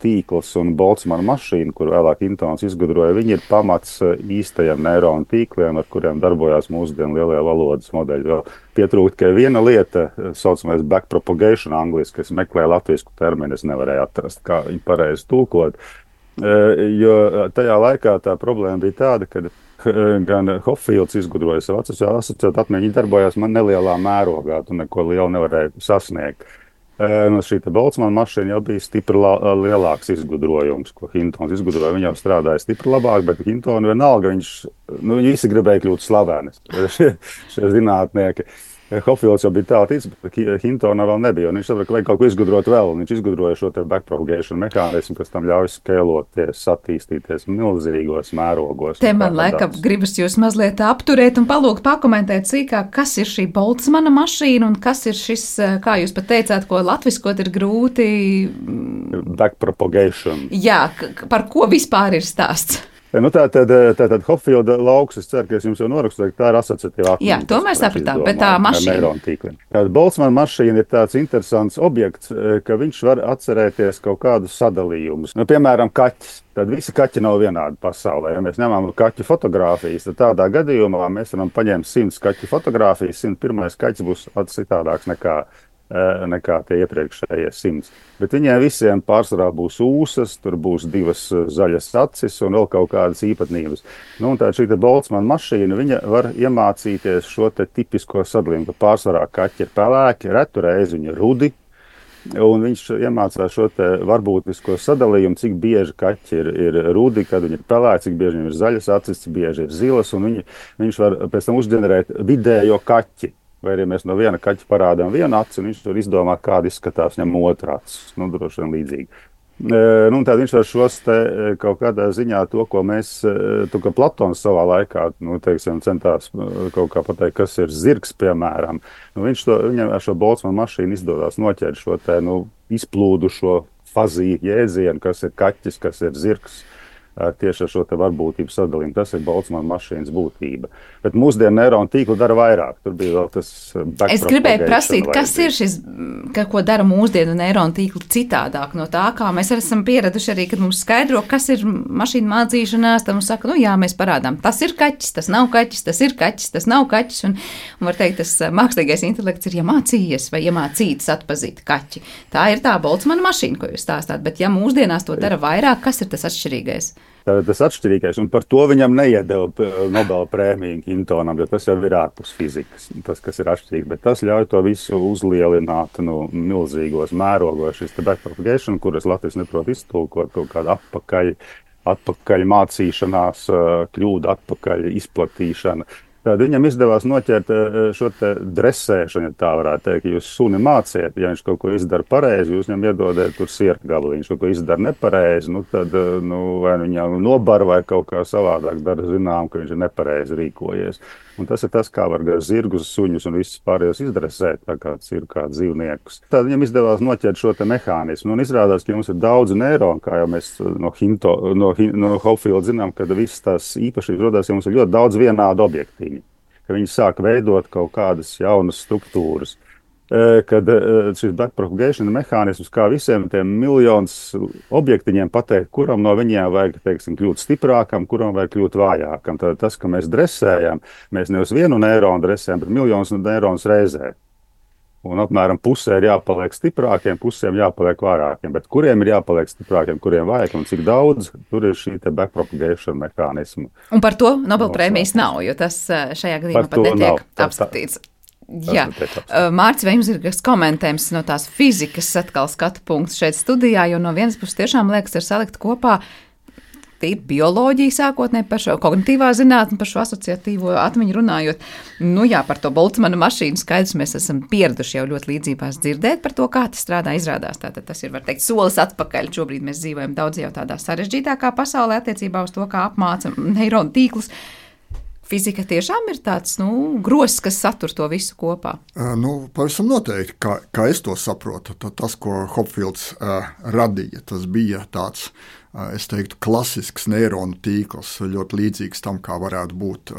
tīkls un Boltzmann mašīna, kur vēlāk Hintons izgudroja, viņi ir pamats īstajiem neironu tīkliem, ar kuriem darbojās mūsdienu lielie valodas modeļi. Vēl pietrūkt, ka viena lieta, saucamais backpropagation angliski, kas meklē latvisku terminu, es nevarēju atrast, kā viņu pareizi tulkot. Jo tajā laikā tā problēma bija tāda, ka gan Hoffields izgudroja savu asociētu atmiņu, viņi darbojās nelielā mērogā, tu neko lielu nevarēja sasniegt. Šī Boltzmann mašīna jau bija stipri lielāks izgudrojums, ko Hintons izgudroja. Viņa jau strādāja stipri labāk, bet Hintonu vienalga, viņi visi gribēja kļūt slaveni, šie zinātnieki. Hoffields jau bija tā tic, bet Hintona vēl nebija. Viņš saprata, ka vajag kaut ko izgudrot vēl. Viņš izgudroja šo backpropagation mehānismu, kas tam ļauj skēloties, attīstīties milzīgos mērogos.
Te man laikam gribas jūs mazliet apturēt un palūgt pakomentēt sīkāk, kas ir šī Boltzmanna mašīna un kas ir šis, kā jūs pat teicāt, ko latviskot ir grūti.
Backpropagation.
Jā, par ko vispār ir stāsts?
Tātad Hoffielda lauks, es ceru, ka es jums jau norakstu, ka tā ir asociatīva atmiņa.
Jā, to mēs sapratām, bet tā mašīna.
Boltzmann mašīna ir tāds interesants objekts, ka viņš var atcerēties kaut kādus sadalījumus. Piemēram, kaķis. Tad visi kaķi nav vienādi pasaulē. Ja mēs ņemam kaķu fotogrāfijas, tad tādā gadījumā mēs varam paņemt 100 kaķu fotogrāfijas, 101. kaķis būs citādāks nekā nekā tie iepriekšējie 100. Bet viņiem visiem pārsvarā būs ūsas, tur būs 2 zaļas acis un vēl kaut kādas īpatnības. Un tā šī Boltzmann mašīna, viņa var iemācīties šo te tipisko sadalījumu, ka pārsvarā kaķi ir pelēki, retu reizi viņi ir rudi, un viņš iemācās šo te varbūtisko sadalījumu, cik bieži kaķi ir rudi, kad viņi ir pelēki, cik bieži viņiem ir zaļas acis, cik bieži ir zilas, un viņš var pēc tam uzģenerēt vidējo kaķi. Vai arī mēs no viena kaķa parādām vienu aci, un viņš var izdomāt, kāda izskatās viņam otrā acis. Droši vien līdzīgi. Tad viņš var šos te kaut kādā ziņā to, ko mēs, kā Platons savā laikā, centās kaut kā pateikt, kas ir zirgs, piemēram. Viņam ar šo Boltzmann mašīnu izdodās noķert šo te, izplūdušo fazīju jēdzienu, kas ir kaķis, kas ir zirgs. Tieši ar šo te varbūtību sadalījumu. Tas ir Boltzmann mašīnas būtība. Bet mūsdienu neironu tīklu dara vairāk. Tur bija vēl tas
Es gribēju prasīt, kas ir šis, ko dara mūsdienu neironu tīklu citādāk no tā, kā mēs esam pieraduši arī, kad mums skaidro, kas ir mašīna mācīšanās, tad mums saka, jā, mēs parādām, tas ir kaķis, tas nav kaķis, tas ir kaķis, tas nav kaķis, un var teikt, tas mākslīgais intelekts ir iemācījies vai iemācīts atpazīt kaķi. Tā ir tā Boltzmann mašīna, ko jūs stāstāt, bet ja mūsdienās to dara vairāk, kas ir tas atšķirīgais?
Tas atšķirīgais, un par to viņam neiedeva Nobela prēmiju Hintonam, jo tas jau ir ārpus fizikas, tas, kas ir atšķirīgi, bet tas ļauj to visu uzlielināt milzīgos mērogos, šis te backpropagation, kuras Latvijas neprot iztulkot, kaut kāda atpakaļ mācīšanās, kļūda atpakaļ izplatīšana. Tad viņam izdevās noķert šo te dresēšanu, ja tā varētu teikt, ja jūs suni māciet, ja viņš kaut ko izdara pareizi, jūs viņam iedodiet tur sierkgalu, viņš kaut ko izdara nepareizi, tad vai viņam nobar vai kaut kā savādāk dara zinām, ka viņš ir nepareizi rīkojies. Un tas ir tas, kā var gar zirgus, suņus un visus pārējos izdresēt, tā kā cirkā dzīvniekus. Tad viņam izdevās noķert šo te mehānismu. Un izrādās, ka mums ir daudz neironu, kā jau mēs no Hopfield zinām, kad visas tās īpašības rodās, ja mums ir ļoti daudz vienādu objektīņu, ka viņi sāk veidot kaut kādas jaunas struktūras. Kad šis backpropagation mehānisms, kā visiem tiem miljonus objektiņiem pateikt, kuram no viņiem vajag, kļūt stiprākam, kuram vajag kļūt vājākam. Tad tas, ka mēs dresējam, mēs nevis vienu neironu dresējam, bet miljonus neironus reizē. Un apmēram pusē ir jāpaliek stiprākiem, pusēm jāpaliek vājākiem. Bet kuriem ir jāpaliek stiprākiem, kuriem vājākiem un cik daudz, tur ir šī te backpropagation mehānisma.
Un par to Nobela prēmijas nav, jo tas šajā gadījumā pat netiek apskatīts. Jā, Mārcis, vai jums ir kas komentējums no tās fizikas atkal skatu punkts šeit studijā, jo no vienas puses tiešām liekas ir salikt kopā tīri bioloģija sākotnē par šo kognitīvā zinātni, par šo asociatīvo atmiņu runājot. Par to Boltzmann mašīnu skaidrs mēs esam pieraduši jau ļoti līdzībās dzirdēt par to, kā tas strādā, izrādās. Tātad tas ir, var teikt, solis atpakaļ. Šobrīd mēs dzīvojam daudz jau tādā sarežģītākā pasaulē attiecībā uz to, kā apmāca neironu tīklus. Fizika tiešām ir tāds gross, kas satur to visu kopā.
Pavisam noteikti, kā es to saprotu, tas, ko Hopfields radīja, tas bija tāds, es teiktu, klasisks neironu tīkls, ļoti līdzīgs tam, kā varētu būt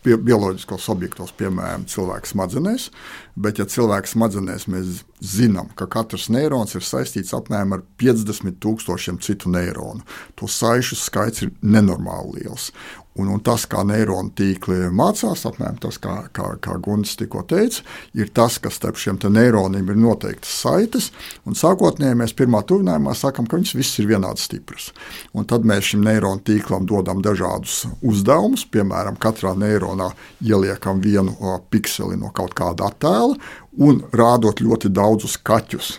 bioloģiskos objektos, piemēram, cilvēka smadzenēs, bet ja cilvēka smadzenēs mēs zinām, ka katrs neirons ir saistīts apmēram ar 50,000 citu neironu. To saišu skaits ir nenormāli liels. Un tas, kā neironu tīkli mācās, apmēram tas, kā Gunts tikko teica, ir tas, ka starp šiem neironiem ir noteiktas saites, un sākotnēji mēs pirmā tuvinājumā sakam, ka viņas viss ir vienādi stipras. Un tad mēs šim neironu tīklam dodam dažādus uzdevumus, piemēram, katrā neironā ieliekam vienu pikseli no kaut kāda attēla, un rādot ļoti daudzus kaķus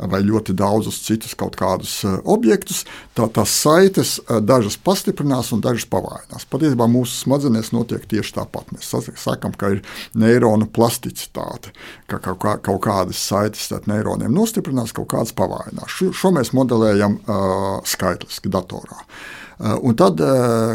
vai ļoti daudzus citus kaut kādus objektus, tās saites dažas pastiprinās un dažas pavājinās. Patiesībā mūsu smadzenēs notiek tieši tāpat. Mēs sakam, ka ir neironu plasticitāte, ka kaut kādas saites starp neironiem nostiprinās, kaut kādas pavājinās. Šo mēs modelējam skaitliski datorā. Un tad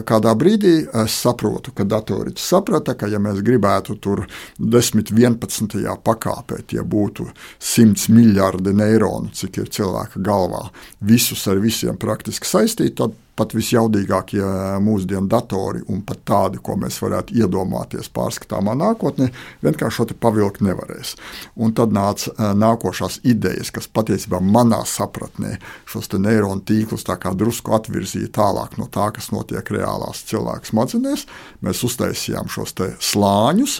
kādā brīdī es saprotu, ka datoriķis saprata, ka ja mēs gribētu tur 10, 11. pakāpē, ja būtu 100 miljardi neironu, cik ir cilvēka galvā, visus ar visiem praktiski saistīt, tad pat visjaudīgākie mūsdienu datori un pat tādi, ko mēs varētu iedomāties pārskatāmā nākotnē, vienkārši šo te pavilkt nevarēs. Un tad nāca nākošās idejas, kas patiesībā manā sapratnē šos te neironu tīklus tā kā drusku atvirzīja tālāk no tā, kas notiek reālās cilvēku smadzenēs. Mēs uztaisījām šos te slāņus,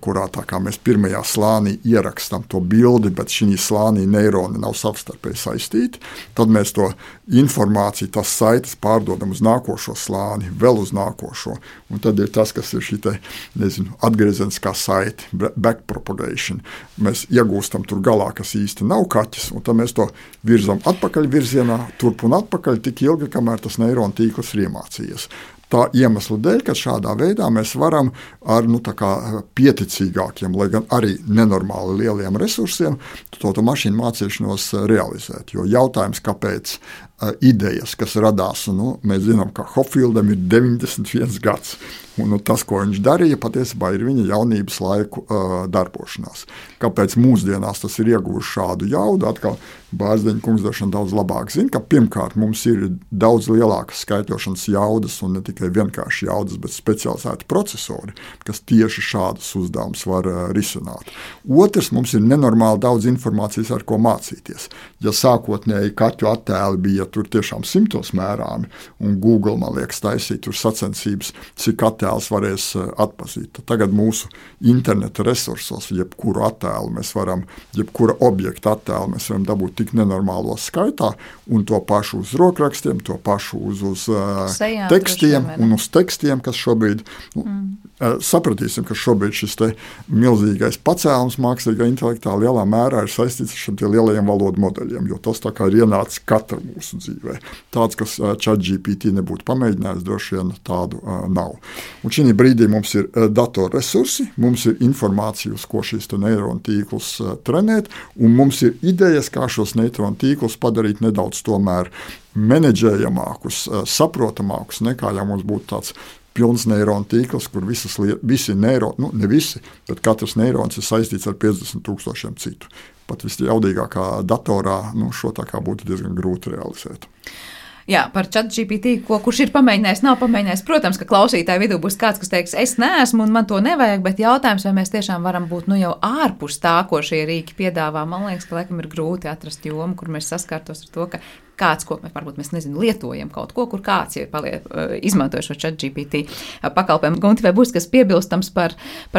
kurā tā kā mēs pirmajā slānī ierakstām to bildi, bet šī slānī neironi nav savstarpēji saistīti. Tad mēs to informāciju, tas saites pārdodam uz nākošo slāni, vēl uz nākošo. Un tad ir tas, kas ir šī te, atgriezeniskā saite, backpropagation. Mēs iegūstam tur galā, kas īsti nav kaķis, un tad mēs to virzam atpakaļ virzienā, turp un atpakaļ tik ilgi, kamēr tas neironu tīkls ir iemācījies. Tā iemesla dēļ, ka šādā veidā mēs varam ar pieticīgākiem, lai gan arī nenormāli lieliem resursiem to mašīnu mācīšanos realizēt. Jo jautājums, kāpēc idejas, kas radās, mēs zinām, ka Hofildam ir 91 gads. Un tas, ko viņš darīja, patiesībā ir viņa jaunības laiku darbošanās. Kāpēc mūsdienās tas ir ieguvis šādu jaudu? Atkal Bārzdeņa kungs daudz labāk zina, ka pirmkārt mums ir daudz lielākas skaitļošanas jaudas un ne tikai vienkārši jaudas, bet specializēti procesori, kas tieši šādus uzdevumus var risināt. Otrs, mums ir nenormāli daudz informācijas, ar ko mācīties. Ja sākotnēji kaķu attēli bija tur tiešām 100 mērāmi, un Google, man liekas, taisīt tur sacensības, cik attēls varēs atpazīt. Tagad mūsu interneta resursos jebkuru attēlu mēs varam, jebkura objekta attēlu mēs varam dabūt tik nenormālos skaitā, un to pašu uz rokrakstiem, to pašu uz tekstiem un uz tekstiem, kas šobrīd, sapratīsim, ka šobrīd šis te milzīgais pacēlums mākslīgā intelektā lielā mērā ir saistīts ar šiem tie lielajiem valodu modeļiem, jo tas tā kā ir ienācis katra mūsu dzīvē. Tāds, kas ChatGPT nebūtu pamēģinājis, droši vien tādu nav. Un šī brīdī mums ir datorresursi, mums ir informācija, uz ko šīs neironu tīklus trenēt, un mums ir idejas, kā šos neironu tīklus padarīt nedaudz tomēr menedžējamākus, saprotamākus, nekā ja mums būtu tāds pilns neironu tīkls, kur visi neironi, ne visi, bet katrs neirons ir saistīts ar 50,000 citu. Pat visjaudīgākā datorā šo tā kā būtu diezgan grūti realizēt.
Jā, par ChatGPT, kurš ir pamēģinājis, nav pamēģinājis. Protams, ka klausītāju vidū būs kāds, kas teiks, es neesmu un man to nevajag, bet jautājums, vai mēs tiešām varam būt jau ārpus tā, ko šie rīki piedāvā. Man liekas, ka laikam ir grūti atrast jomu, kur mēs saskārtos ar to, ka kāds, ko varbūt mēs lietojam kaut ko, kur kāds ir izmantoja šo ChatGPT pakalpojumu. Gunti, vai būs kas piebilstams par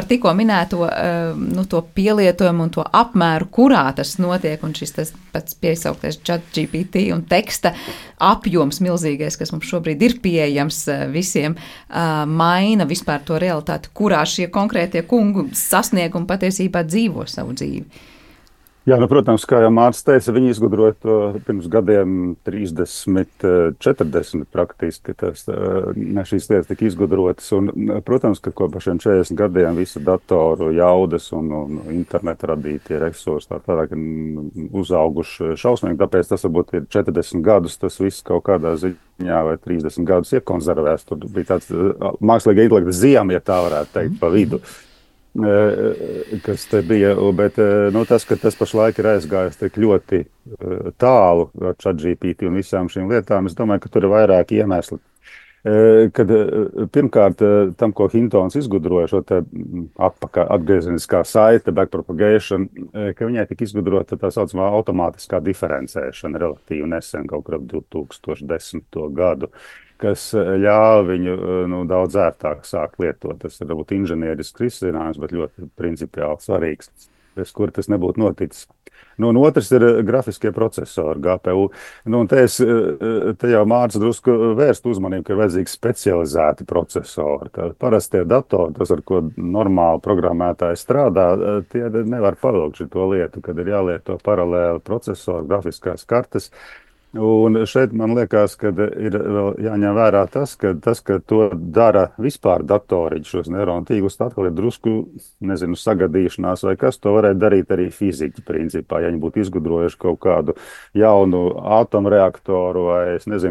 tikko minēto to pielietojumu un to apmēru, kurā tas notiek, un šis tas pats piesauktais ChatGPT un teksta apjoms milzīgais, kas mums šobrīd ir pieejams visiem, maina vispār to realitāti, kurā šie konkrētie kungu sasniegumi patiesībā dzīvo savu dzīvi?
Jā, protams, kā jau Mārcis teica, viņi izgudroja to pirms gadiem 30, 40 praktiski. Šīs lietas tika izgudrotas. Un, protams, ka kopš šiem 40 gadiem visi datoru jaudas un interneta radītie resursi tālāk uzauguši šausmīgi. Tāpēc tas varbūt ir 40 gadus, tas viss kaut kādā ziņā vai 30 gadus iekonservēs. Tur bija tāds mākslīga intelekta ziema, ja tā varētu teikt, pa vidu. Kas te bija, bet tas, ka tas pašlaik ir aizgājis tik ļoti tālu ar ChatGPT un visām šīm lietām, es domāju, ka tur ir vairāki iemesli. Kad pirmkārt tam, ko Hintons izgudroja, šo te atgriezeniskā saite, backpropagation, ka viņai tika izgudrota tā saucamā automātiskā diferencēšana relatīvi nesen, kaut kur ap 2010. Gadu, kas ļāva viņu daudz ērtāk sākt lietot. Tas ir varbūt inženierisks risinājums, bet ļoti principiāli svarīgs, bez kur tas nebūtu noticis. Un otrs ir grafiskie procesori, GPU. Te jau Mārcis drusku vērst uzmanību, ka ir vajadzīgi specializēti procesori. Parastie datori, tas, ar ko normāli programmētāji strādā, tie nevar pavilkt šito lietu, kad ir jālieto paralēli procesori, grafiskās kartes. Un šeit man liekas, ka ir vēl jāņem vērā tas, ka to dara vispār datoriņš, šos neironu tīklus, atkal ir drusku, sagadīšanās vai kas, to varētu darīt arī fiziķi principā, ja viņi būtu izgudrojuši kaut kādu jaunu atomreaktoru vai,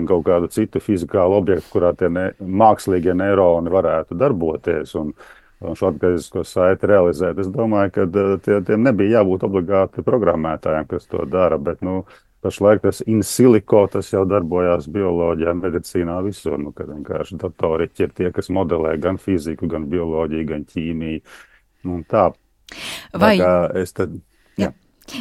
kaut kādu citu fizikālu objektu, kurā tie mākslīgie neironi varētu darboties un šo atgriezenisko saiti realizēt. Es domāju, ka tiem nebija jābūt obligāti programmētājiem, kas to dara, bet, pašlaik tas in silico, tas jau darbojās bioloģijā, medicīnā, visur, kad vienkārši datoriķi ir tie, kas modelē gan fiziku, gan bioloģiju, gan ķīmiju. Tā.
Vai...
Jā.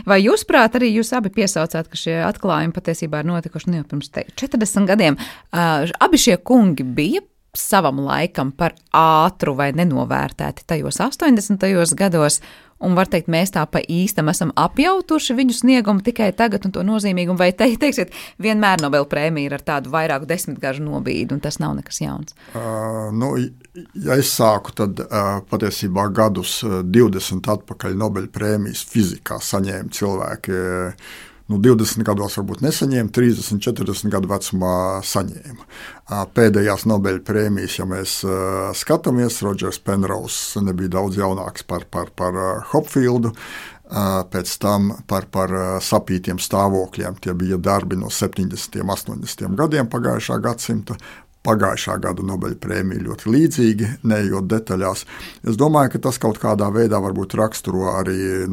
Vai jūs prāt arī jūs abi piesaucāt, ka šie atklājumi patiesībā ir notikuši jau pirms 40 gadiem? Abi šie kungi bija savam laikam par ātru vai nenovērtēti tajos 80. gados, un var teikt, mēs tā pa īstam esam apjautuši viņu sniegumu tikai tagad un to nozīmīgumu, vai teiksiet, vienmēr Nobela prēmija ir ar tādu vairāku desmitgažu nobīdi, un tas nav nekas jauns?
Ja es sāku, tad patiesībā gadus 20 atpakaļ Nobela prēmijas fizikā saņēma cilvēki, 20 gados varbūt nesaņēma, 30, 40 gadu vecumā saņēma. Pēdējās Nobela prēmijas, ja mēs skatāmies, Rodžers Penrose nebija daudz jaunāks par Hopfieldu, pēc tam par sapītiem stāvokļiem. Tie bija darbi no 70. 80. gadiem pagājušā gadsimta. Pagājušā gada Nobela prēmija ļoti līdzīgi, neejot detaļās. Es domāju, ka tas kaut kādā veidā varbūt raksturo arī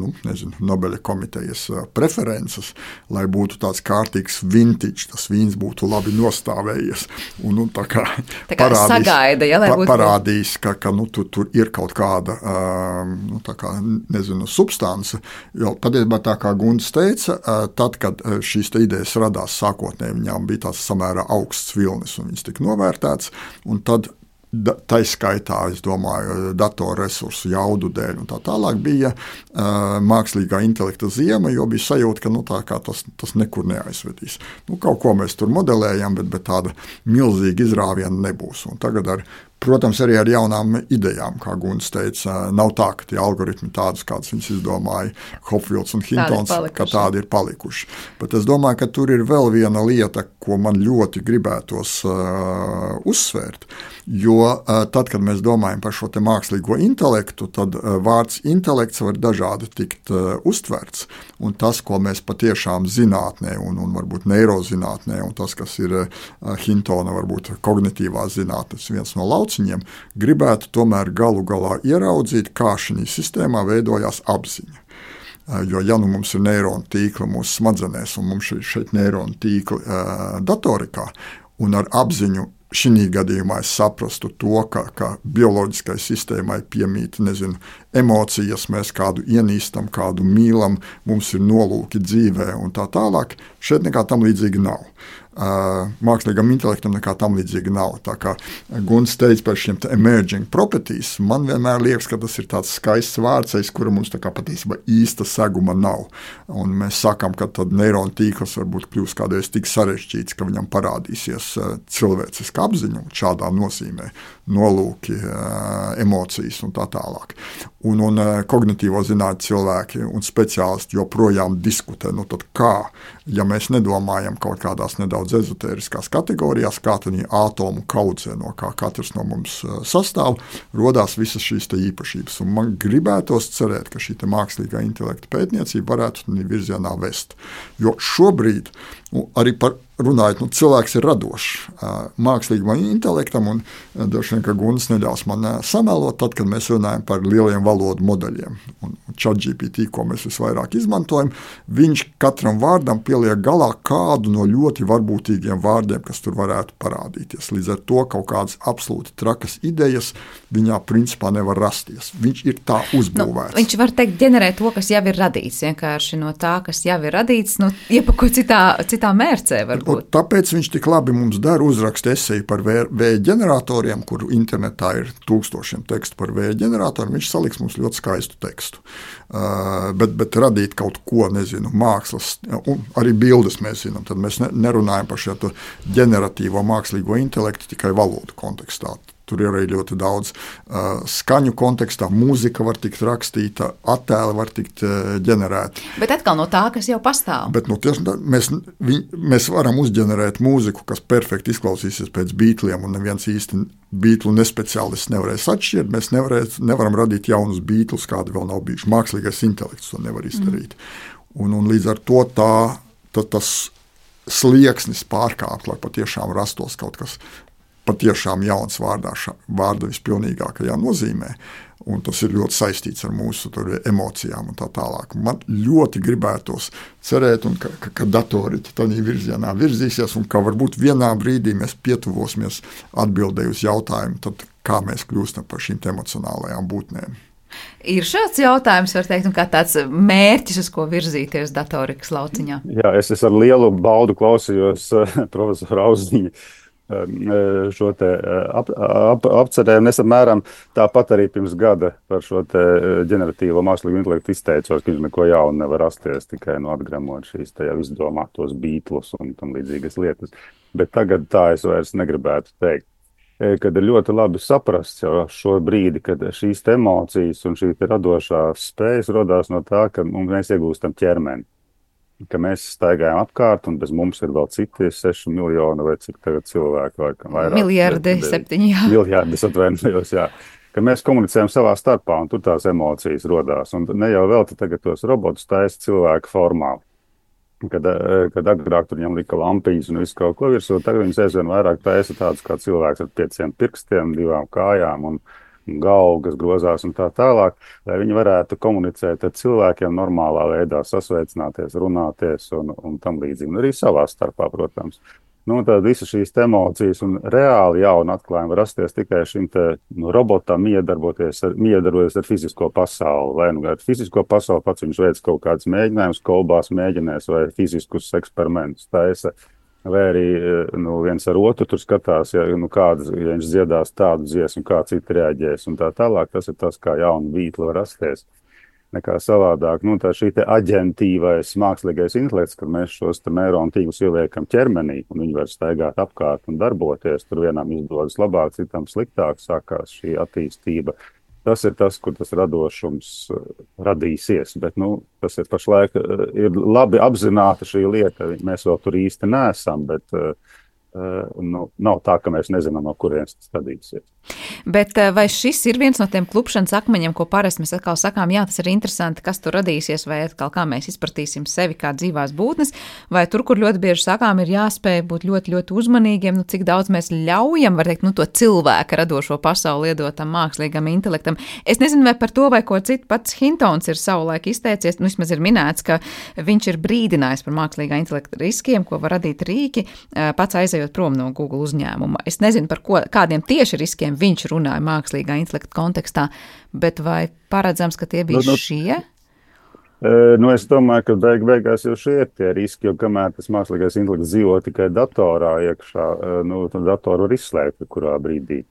Nobela komitejas preferences, lai būtu tāds kārtīgs vintage, tas vīns būtu labi nostāvējies. Un, tā kā
sagaida, ja,
parādīs, ka tur ir kaut kāda substance. Jo patiesībā tā kā Gunts teica, tad, kad šīs idejas radās sākotnēji, viņām bija tāds samērā augsts vilnis un viņas tika novērtēts, un tad taiskaitā, es domāju, datorresursu jaudu dēļ un tā tālāk bija mākslīgā intelekta ziema, jo bija sajūta, ka tas nekur neaizvedīs. Kaut ko mēs tur modelējam, bet tāda milzīga izrāviena nebūs. Un tagad protams, arī ar jaunām idejām, kā Gunts teica, nav tā, ka tie algoritmi tādus, kādus viņas izdomāja Hopfields un Hintons, ka tādi ir palikuši. Bet es domāju, ka tur ir vēl viena lieta, ko man ļoti gribētos uzsvērt, jo tad, kad mēs domājam par šo te mākslīgo intelektu, tad vārds intelekts var dažādi tikt uztverts, un tas, ko mēs patiešām zinātnē un varbūt neirozinātnē, un tas, kas ir Hintona varbūt kognitīvā zinātnes viens no lauciņiem, gribētu tomēr galu galā ieraudzīt, kā šī sistēmā veidojās apziņa. Jo, ja mums ir neironu tīkli mūsu smadzenēs, un mums ir šeit neironu tīkli datorikā, un ar apziņu šī gadījumā es saprastu to, ka bioloģiskai sistēmai piemīt, emocijas, mēs kādu ienīstam, kādu mīlam, mums ir nolūki dzīvē un tā tālāk, šeit nekā tam līdzīgi nav. Mākslīgam intelektam nekā tam līdzīgi nav. Tā kā Gunts teica par šiem emerging properties, man vienmēr liekas, ka tas ir tāds skaists vārds, kura mums tā kā patiesībā īsta seguma nav. Un mēs sakām, ka tad neironu tīkls varbūt kļūs kādreiz tik sarežģīts, ka viņam parādīsies cilvēciska apziņa šādā nozīmē, nolūki, emocijas un tā tālāk. Un kognitīvo zinātņu cilvēki un speciālisti joprojām diskutē, tad kā, ja mēs nedomājam kaut kādās nedaudz ezotēriskās kategorijās, kā tad ātomu kaudzē, no kā katrs no mums sastāv, rodās visas šīs te īpašības. Un man gribētos cerēt, ka šī te mākslīgā intelekta pētniecība varētu virzienā vest. Jo šobrīd arī runājot, cilvēks ir radošs mākslīgam intelektam, un droši vien, ka Gunts neļaus man samelot, tad, kad mēs runājam par lieliem valodu modeļiem. Un ChatGPT, ko mēs visvairāk izmantojam, viņš katram vārdam pieliek galā kādu no ļoti varbūtīgiem vārdiem, kas tur varētu parādīties. Līdz ar to kaut kādas absolūti trakas idejas viņā principā nevar rasties. Viņš ir tā uzbūvēts.
Viņš var teikt, ģenerēt to, kas jau ir radīts, vienkārši no tā, kas jau ir radīts, iepako citā mērcē varbūt.
Tāpēc viņš tik labi mums dara uzrakst eseju par vēja ģeneratoriem, kur internetā ir tūkstošiem tekstu par vēja ģeneratoriem. Viņš saliks mums ļoti skaistu tekstu. Bet radīt kaut ko, mākslas, un arī bildes mēs zinām, tad mēs nerunājam par šo ģeneratīvo mākslīgo intelektu tikai valodu kontekstā. Tur ir arī ļoti daudz skaņu kontekstā, mūzika var tikt rakstīta, attēli var tikt ģenerēti.
Bet atkal no tā, kas jau pastāv.
Bet mēs varam uzģenerēt mūziku, kas perfekti izklausīsies pēc Beatliem, un neviens īsti Beatlu nespeciālists nevarēs atšķirt. Mēs nevaram radīt jaunus Beatlus, kādi vēl nav bijuši. Mākslīgais intelekts to nevar izdarīt. Un līdz ar to tas slieksnis pārkāpt, lai patiešām rastos kaut kas patiešām jauns vārda vispilnīgākajā nozīmē. Un tas ir ļoti saistīts ar mūsu emocijām un tā tālāk. Man ļoti gribētos cerēt, ka datoriķi tādā virzienā virzīsies un ka varbūt vienā brīdī mēs pietuvosimies atbildēji uz jautājumu, tad kā mēs kļūstam par šīm emocionālajām būtnēm.
Ir šāds jautājums, var teikt, un kā tāds mērķis, uz ko virzīties datorikas lauciņā?
Jā, es ar lielu baudu klausījos profesora Auziņa šo te apcerējumu. Es apmēram tāpat arī pirms gada par šo te ģeneratīvo mākslīgo intelektu izteicos, ka viņš neko jaunu nevar rasties, tikai atgremot šīs te jau izdomātos Beatlus un tam līdzīgas lietas. Bet tagad tā es vairs negribētu teikt. Kad ir ļoti labi saprast jau šo brīdi, kad šīs emocijas un šī radošā spējas rodās no tā, ka mēs iegūstam ķermeni. Ka mēs staigājam apkārt, un bez mums ir vēl citi 6 miljoni vai cik tagad cilvēku, vai vairāk.
Miljardi, 7, jā.
Miljardi, atvainojos, jā. Ka mēs komunicējam savā starpā, un tur tās emocijas rodās. Un ne jau vēl tagad tos robotus taisa cilvēku formā. Kad agrāk tur viņam lika lampiņas un visu kaut ko virsū, tagad viņas aizvien vairāk taisa tādus kā cilvēks ar 5 pirkstiem, 2 kājām un galvu, kas grozās un tā tālāk, lai viņi varētu komunicēt ar cilvēkiem normālā veidā, sasveicināties, runāties un tam līdzīgi. Un arī savā starpā, protams. Tad visas šīs emocijas un reāli jauni atklājumi var rasties tikai šim robotam miedarboties ar fizisko pasauli. Vai ar fizisko pasauli pats viņš veic kaut kādas mēģinājumus, kolbās mēģinās vai fiziskus eksperimentus taisa. Vai arī viens ar otru tur skatās, ja viņš dziedās tādu dziesmu, kā citi reaģēs un tā tālāk. Tas ir tas, kā jauna Beatla var rasties. Nekā savādāk. Tā šī aģentīvais mākslīgais intelekts, kad mēs šos neironu tīklus ieliekam ķermenī un viņi var staigāt apkārt un darboties, tur vienam izdodas labāk, citam sliktāk, sākās šī attīstība. Tas ir tas, kur tas radošums radīsies, bet tas ir pašlaik ir labi apzināta šī lieta. Mēs vēl tur īsti neesam, bet nav tā, ka mēs nezinām, no kurienes tas radīsies.
Bet vai šis ir viens no tiem klupšanas akmeņiem, ko parasti mēs atkal sakām, jā, tas ir interesanti, kas tur radīsies, vai atkal kā mēs izpratīsim sevi kā dzīvās būtnes, vai tur, kur ļoti bieži sakām, ir jāspēj būt ļoti, ļoti uzmanīgiem, cik daudz mēs ļaujam, var teikt, to cilvēka radošo pasauli iedotam mākslīgam intelektam. Es nezinu, vai par to vai ko citu pats Hintons ir savulaik izteicies, vismaz ir minēts, ka viņš ir brīdinājis par mākslīgā intelekta riskiem, ko var radīt rīki, pats aizejot prom no Google uzņēmuma. Es nezinu, par kādiem tieši riskiem viņš runāja mākslīgā intelekta kontekstā, bet vai paredzams, ka tie bija šie?
Es domāju, ka beigās jau šie ir tie riski, jo kamēr tas mākslīgais intelekts dzīvo tikai datorā iekšā, tad datoru var izslēgt kurā brīdī.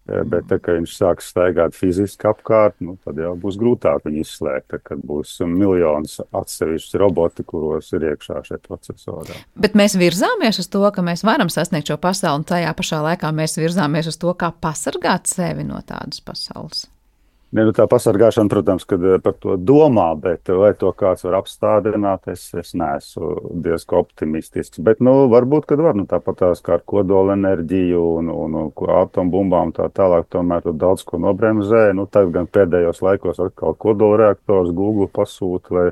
Bet, kad viņš sāks staigāt fiziski apkārt, tad jau būs grūtāk viņu izslēgt, kad būs miljonus atsevišķi roboti, kuros ir iekšā šie procesori.
Bet mēs virzāmies uz to, ka mēs varam sasniegt šo pasauli, un tajā pašā laikā mēs virzāmies uz to, kā pasargāt sevi no tādas pasaules.
Tā pasargāšana, protams, kad par to domā, bet vai to kāds var apstādināt, es neesmu diezgan optimistisks. Bet, varbūt, kad var, tāpat tās kā ar kodola enerģiju un atombumbām tā tālāk, tomēr tur daudz ko nobremzē. Tagad gan pēdējos laikos atkal kodola reaktors Google pasūta, lai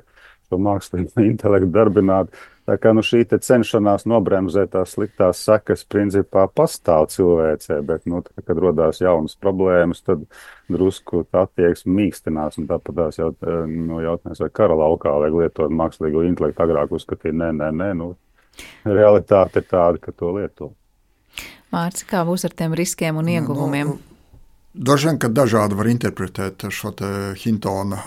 šo mākslīgo intelektu darbinātu. Tā kā šī cenšanās nobremzēt tās sliktās sekas principā pastāv cilvēcē, bet, kad rodās jaunas problēmas, tad drusku tā attieksme mīkstinās, un tāpat tās jautājums, vai kara laukā vajag lietot mākslīgo intelektu, agrāk uzskatīt, nē, realitāte ir tāda, ka to lieto.
Mārcis, kā būs ar tiem riskiem un ieguvumiem?
Daži vien, ka dažādi var interpretēt šo te Hintona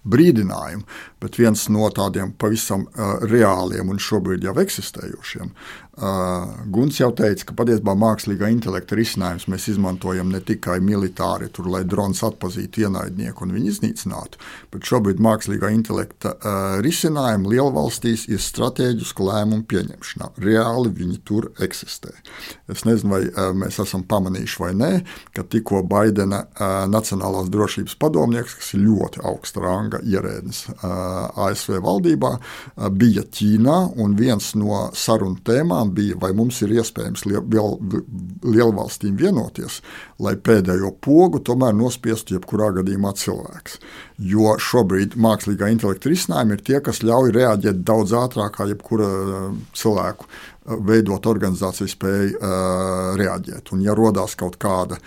brīdinājumu, bet viens no tādiem pavisam reāliem un šobrīd jau eksistējošiem. Guns jau teica, ka patiesībā mākslīgā intelekta risinājums mēs izmantojam ne tikai militāri, lai drons atpazītu ienaidnieku un viņu iznīcinātu, bet šobrīd mākslīgā intelekta risinājumi lielvalstīs ir stratēģisku lēmumu pieņemšanā. Reāli viņi tur eksistē. Es nezinu, vai mēs esam pamanījuši vai nē, ka tikko Baidena Nacionālās drošības padomnieks, kas ir ļoti augsta ranga ierēdnis ASV valdībā, bija Ķīnā, un viens no sarunu tēmām joprojām bija, vai mums ir iespējams lielvalstīm vienoties, lai pēdējo pogu tomēr nospiestu jebkurā gadījumā cilvēks. Jo šobrīd mākslīgā intelekta risinājumi ir tie, kas ļauj reaģēt daudz ātrāk kā jebkura cilvēku veidot organizāciju spēju reaģēt. Un ja rodās kaut kāda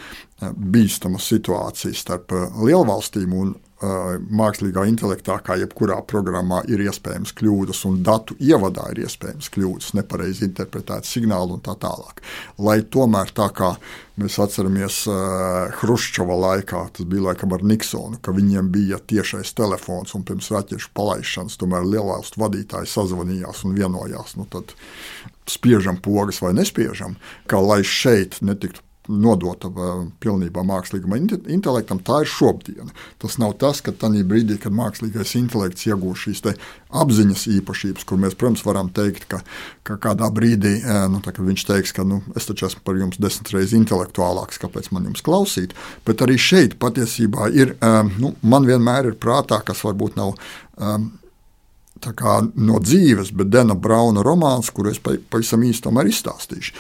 bīstama situācija starp lielvalstīm un mākslīgā intelektā, kā jebkurā programmā, ir iespējams kļūdas, un datu ievadā ir iespējams kļūdas, nepareizi interpretēt signālu un tā tālāk. Lai tomēr tā kā mēs atceramies Hruščova laikā, tas bija laikam ar Niksonu, ka viņiem bija tiešais telefons, un pirms raķešu palaišanas tomēr lielvalstu vadītāji sazvanījās un vienojās. Tad spiežam pogas vai nespiežam, kā lai šeit netiktu nodota pilnībā mākslīgam intelektam, tā ir šobrīd. Tas nav tas, ka tajā brīdī, kad mākslīgais intelekts iegūst šīs apziņas īpašības, kur mēs, protams, varam teikt, ka kādā brīdī, kad viņš teiks, ka es taču esmu par jums 10 reizes intelektuālāks, kāpēc man jums klausīt, bet arī šeit patiesībā ir, man vienmēr ir prātā, kas varbūt nav tā kā no dzīves, bet Dena Brauna romāns, kuru es pavisam īsti tomēr izstāstīšu.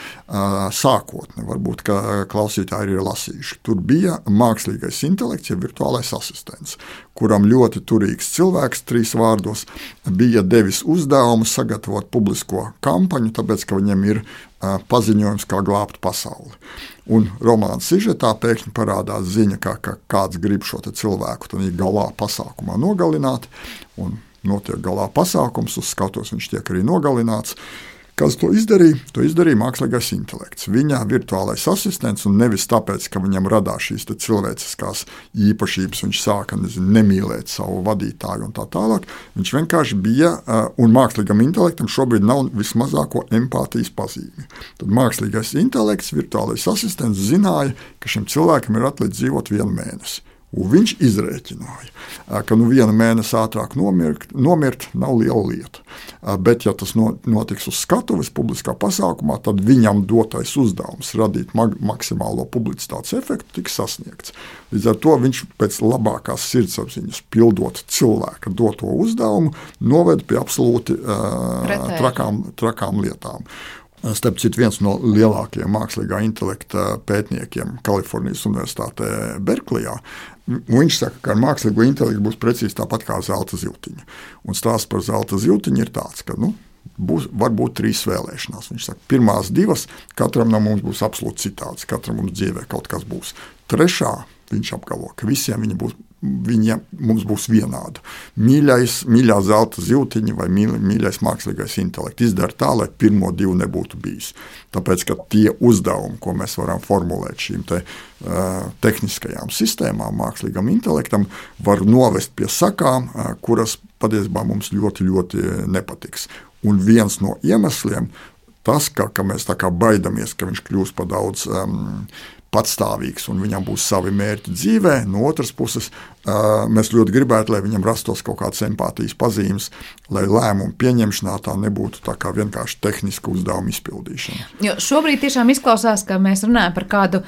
Sākotne, varbūt, ka klausītāji ir lasījuši. Tur bija mākslīgais intelekts, ja virtuālais asistents, kuram ļoti turīgs cilvēks, 3 vārdos, bija devis uzdevumu sagatavot publisko kampaņu, tāpēc, ka viņam ir paziņojums, kā glābt pasauli. Un romāna sižetā pēkšņi parādās ziņa, ka kāds grib šo cilvēku tad galā pasākumā nogalināt, un notiek galā pasākums, uz skatuves viņš tiek arī nogalināts. Kas to izdarīja? To izdarīja mākslīgais intelekts. Viņa virtuālais asistents, un nevis tāpēc, ka viņam radās šīs cilvēciskās īpašības, viņš sāka nemīlēt savu vadītāju un tā tālāk. Viņš vienkārši bija, un mākslīgam intelektam šobrīd nav vismazāko empātijas pazīmi. Tad mākslīgais intelekts, virtuālais asistents zināja, ka šim cilvēkam ir atlicis dzīvot 1 mēnesi. Un viņš izrēķināja, ka 1 mēnesi ātrāk nomirt nav liela lieta. Bet, ja tas notiks uz skatuves publiskā pasākumā, tad viņam dotais uzdevums radīt maksimālo publicitātes efektu tiks sasniegts. Līdz ar to viņš pēc labākās sirdsapziņas pildot cilvēka doto uzdevumu noved pie absolūti trakām lietām. Starp citu, viens no lielākajiem mākslīgā intelekta pētniekiem Kalifornijas Universitātē Berklijā, viņš saka, ka ar mākslīgo intelektu būs precīzi tāpat kā zelta ziltiņa. Un stāsts par zelta ziltiņu ir tāds, ka var būt 3 vēlēšanās. Viņš saka, pirmās 2 katram no mums būs absolūti citāds, katram mums dzīvē kaut kas būs. 3. viņš apgalvo, ka visiem mums būs vienāda. Mīļā zelta ziltiņa vai mīļais mākslīgais intelekts izdara tā, lai pirmo 2 nebūtu bijis. Tāpēc, ka tie uzdevumi, ko mēs varam formulēt šīm tehniskajām sistēmām, mākslīgam intelektam, var novest pie sakām, kuras patiesībā mums ļoti, ļoti nepatiks. Un viens no iemesliem tas, ka mēs tā kā baidamies, ka viņš kļūs par daudz patstāvīgs un viņam būs savi mērķi dzīvē. No otras puses, mēs ļoti gribētu, lai viņam rastos kaut kādas empātijas pazīmes, lai lēmumu pieņemšanā tā nebūtu tā kā vienkārši tehniska uzdevuma izpildīšana.
Jo šobrīd tiešām izklausās, ka mēs runājam par kādu,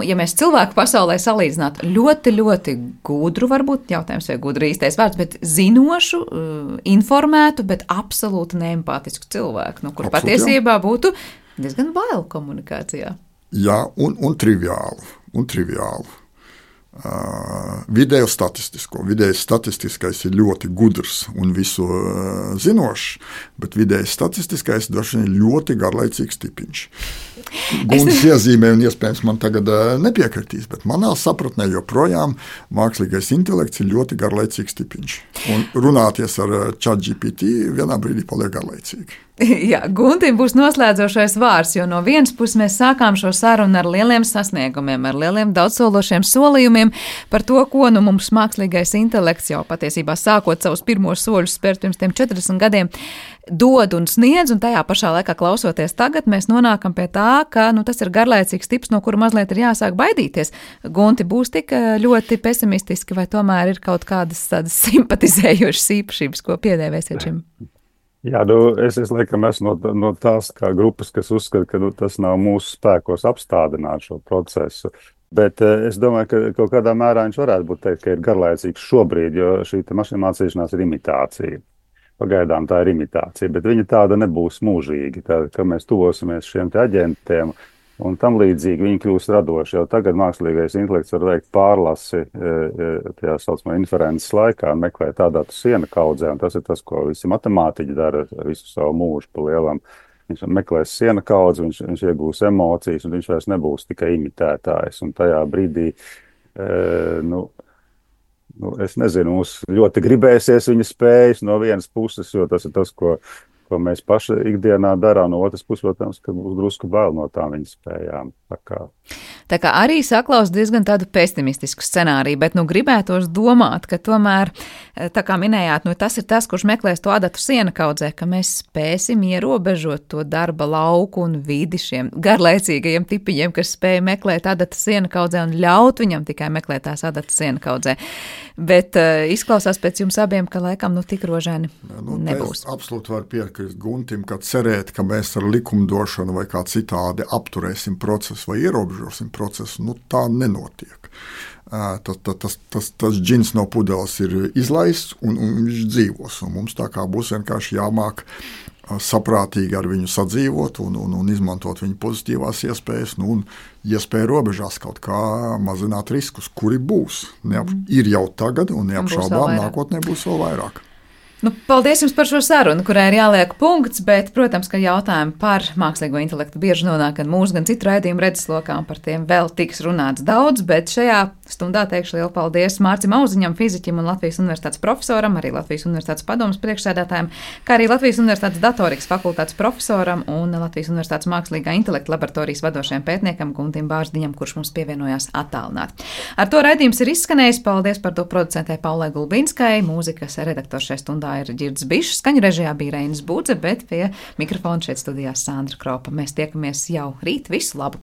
ja mēs cilvēku pasaulē salīdzinātu, ļoti, ļoti gudru, varbūt jautājums vai gudru īstais vārds, bet zinošu, informētu, bet absolūti neempātisku cilvēku, kur patiesībā būtu diezgan bail komunikācijā.
Jā, un triviālu. Vidēju statistisko. Vidējais statistiskais ir ļoti gudrs un visu zinošs, bet vidējais statistiskais droši vien ir ļoti garlaicīgs tipiņš. Gundas iezīmē, un iespējams man tagad nepiekritīs, bet manā sapratnē joprojām mākslīgais intelekts ir ļoti garlaicīgs tipiņš. Un runāties ar ChatGPT vienā brīdī paliek garlaicīgi.
Jā, Guntim būs noslēdzošais vārds, jo no vienas puses mēs sākām šo sarunu ar lieliem sasniegumiem, ar lieliem daudzsološiem solījumiem par to, ko mums mākslīgais intelekts jau patiesībā sākot savus pirmos soļus spērt pirms tiem 40 gadiem dod un sniedz, un tajā pašā laikā klausoties tagad, mēs nonākam pie tā, ka tas ir garlaicīgs tips, no kura mazliet ir jāsāk baidīties. Gunti, būs tik ļoti pesimistiski, vai tomēr ir kaut kādas tādas simpatizējošas īpašības, ko piedēvēsiet šim?
Jā, es laikam esmu no tās kā grupas, kas uzskata, ka tas nav mūsu spēkos apstādināt šo procesu. Bet es domāju, ka kaut kādā mērā viņš varētu būt teikt, ka ir garlaicīgs šobrīd, jo šī mašīna mācīšanās ir imitācija. Pagaidām tā ir imitācija, bet viņa tāda nebūs mūžīgi. Tā, ka mēs tuvosimies šiem te aģentiem un tam līdzīgi viņi kļūst radoši. Jau tagad mākslīgais intelekts var veikt pārlasi tajā saucamā inferences laikā un meklēt tādā siena kaudzē. Un tas ir tas, ko visi matemātiķi dara visu savu mūžu pa lielam. Viņš meklēs siena kaudzi, viņš iegūs emocijas un viņš vairs nebūs tikai imitētājs. Un tajā brīdī, es nezinu, mums ļoti gribēsies viņa spējas no vienas puses, jo tas ir tas, ko mēs paši ikdienā darām, no otras puses, protams, ka būs drusku bail no tām viņa spējām.
Tā kā arī saklaus diezgan tādu pesimistisku scenāriju, bet gribētos domāt, ka tomēr, tā kā minējāt, tas ir tas, kurš meklēs to adatu siena kaudzē, ka mēs spēsim ierobežot to darba lauku un vidi šiem garlaicīgajiem tipiņiem, kas spēja meklēt adatu siena kaudzē un ļaut viņam tikai meklēt tās adatu siena kaudzē. Bet izklausās pēc jums abiem, ka laikam tik rožaini nebūs.
Es absolūti varu piekrist Guntim, ka cerēt, ka mēs ar likumdošanu vai kā citādi apturēsim procesu vai ierobežosim procesu, tā nenotiek. Tas džins no pudeles ir izlaists un viņš dzīvos. Un mums tā kā būs vienkārši jāmāk saprātīgi ar viņu sadzīvot un izmantot viņa pozitīvās iespējas, un iespēju robežās kaut kā mazināt riskus, kuri būs. Ir jau tagad un neapšaubām nākotnē būs vēl vairāk.
Paldies jums par šo sarunu, kurai ir jāliek punkts, bet, protams, ka jautājumi par mākslīgo intelektu bieži nonāk gan mūsu, gan citu raidījumu redzeslokā, un par tiem vēl tiks runāts daudz, bet šajā stundā teikšu lielu paldies Mārcim Auziņam, fiziķim un Latvijas Universitātes profesoram, arī Latvijas Universitātes padomes priekšsēdētājiem, kā arī Latvijas Universitātes datorikas fakultātes profesoram un Latvijas Universitātes mākslīgā intelekta laboratorijas vadošajam pētniekam Guntim Bārzdiņam, kurš mums pievienojās attālināti. Ar to raidījums ir izskanējis. Paldies par to producentē Paulai Gulbinskai, mūzikas redaktors šajā stundā ir Ģirds Bišs, skaņu režijā bija Reinis Budze, bet pie mikrofona šeit studijā Sandra Kropa. Mēs tiekamies jau rīt. Visu labu!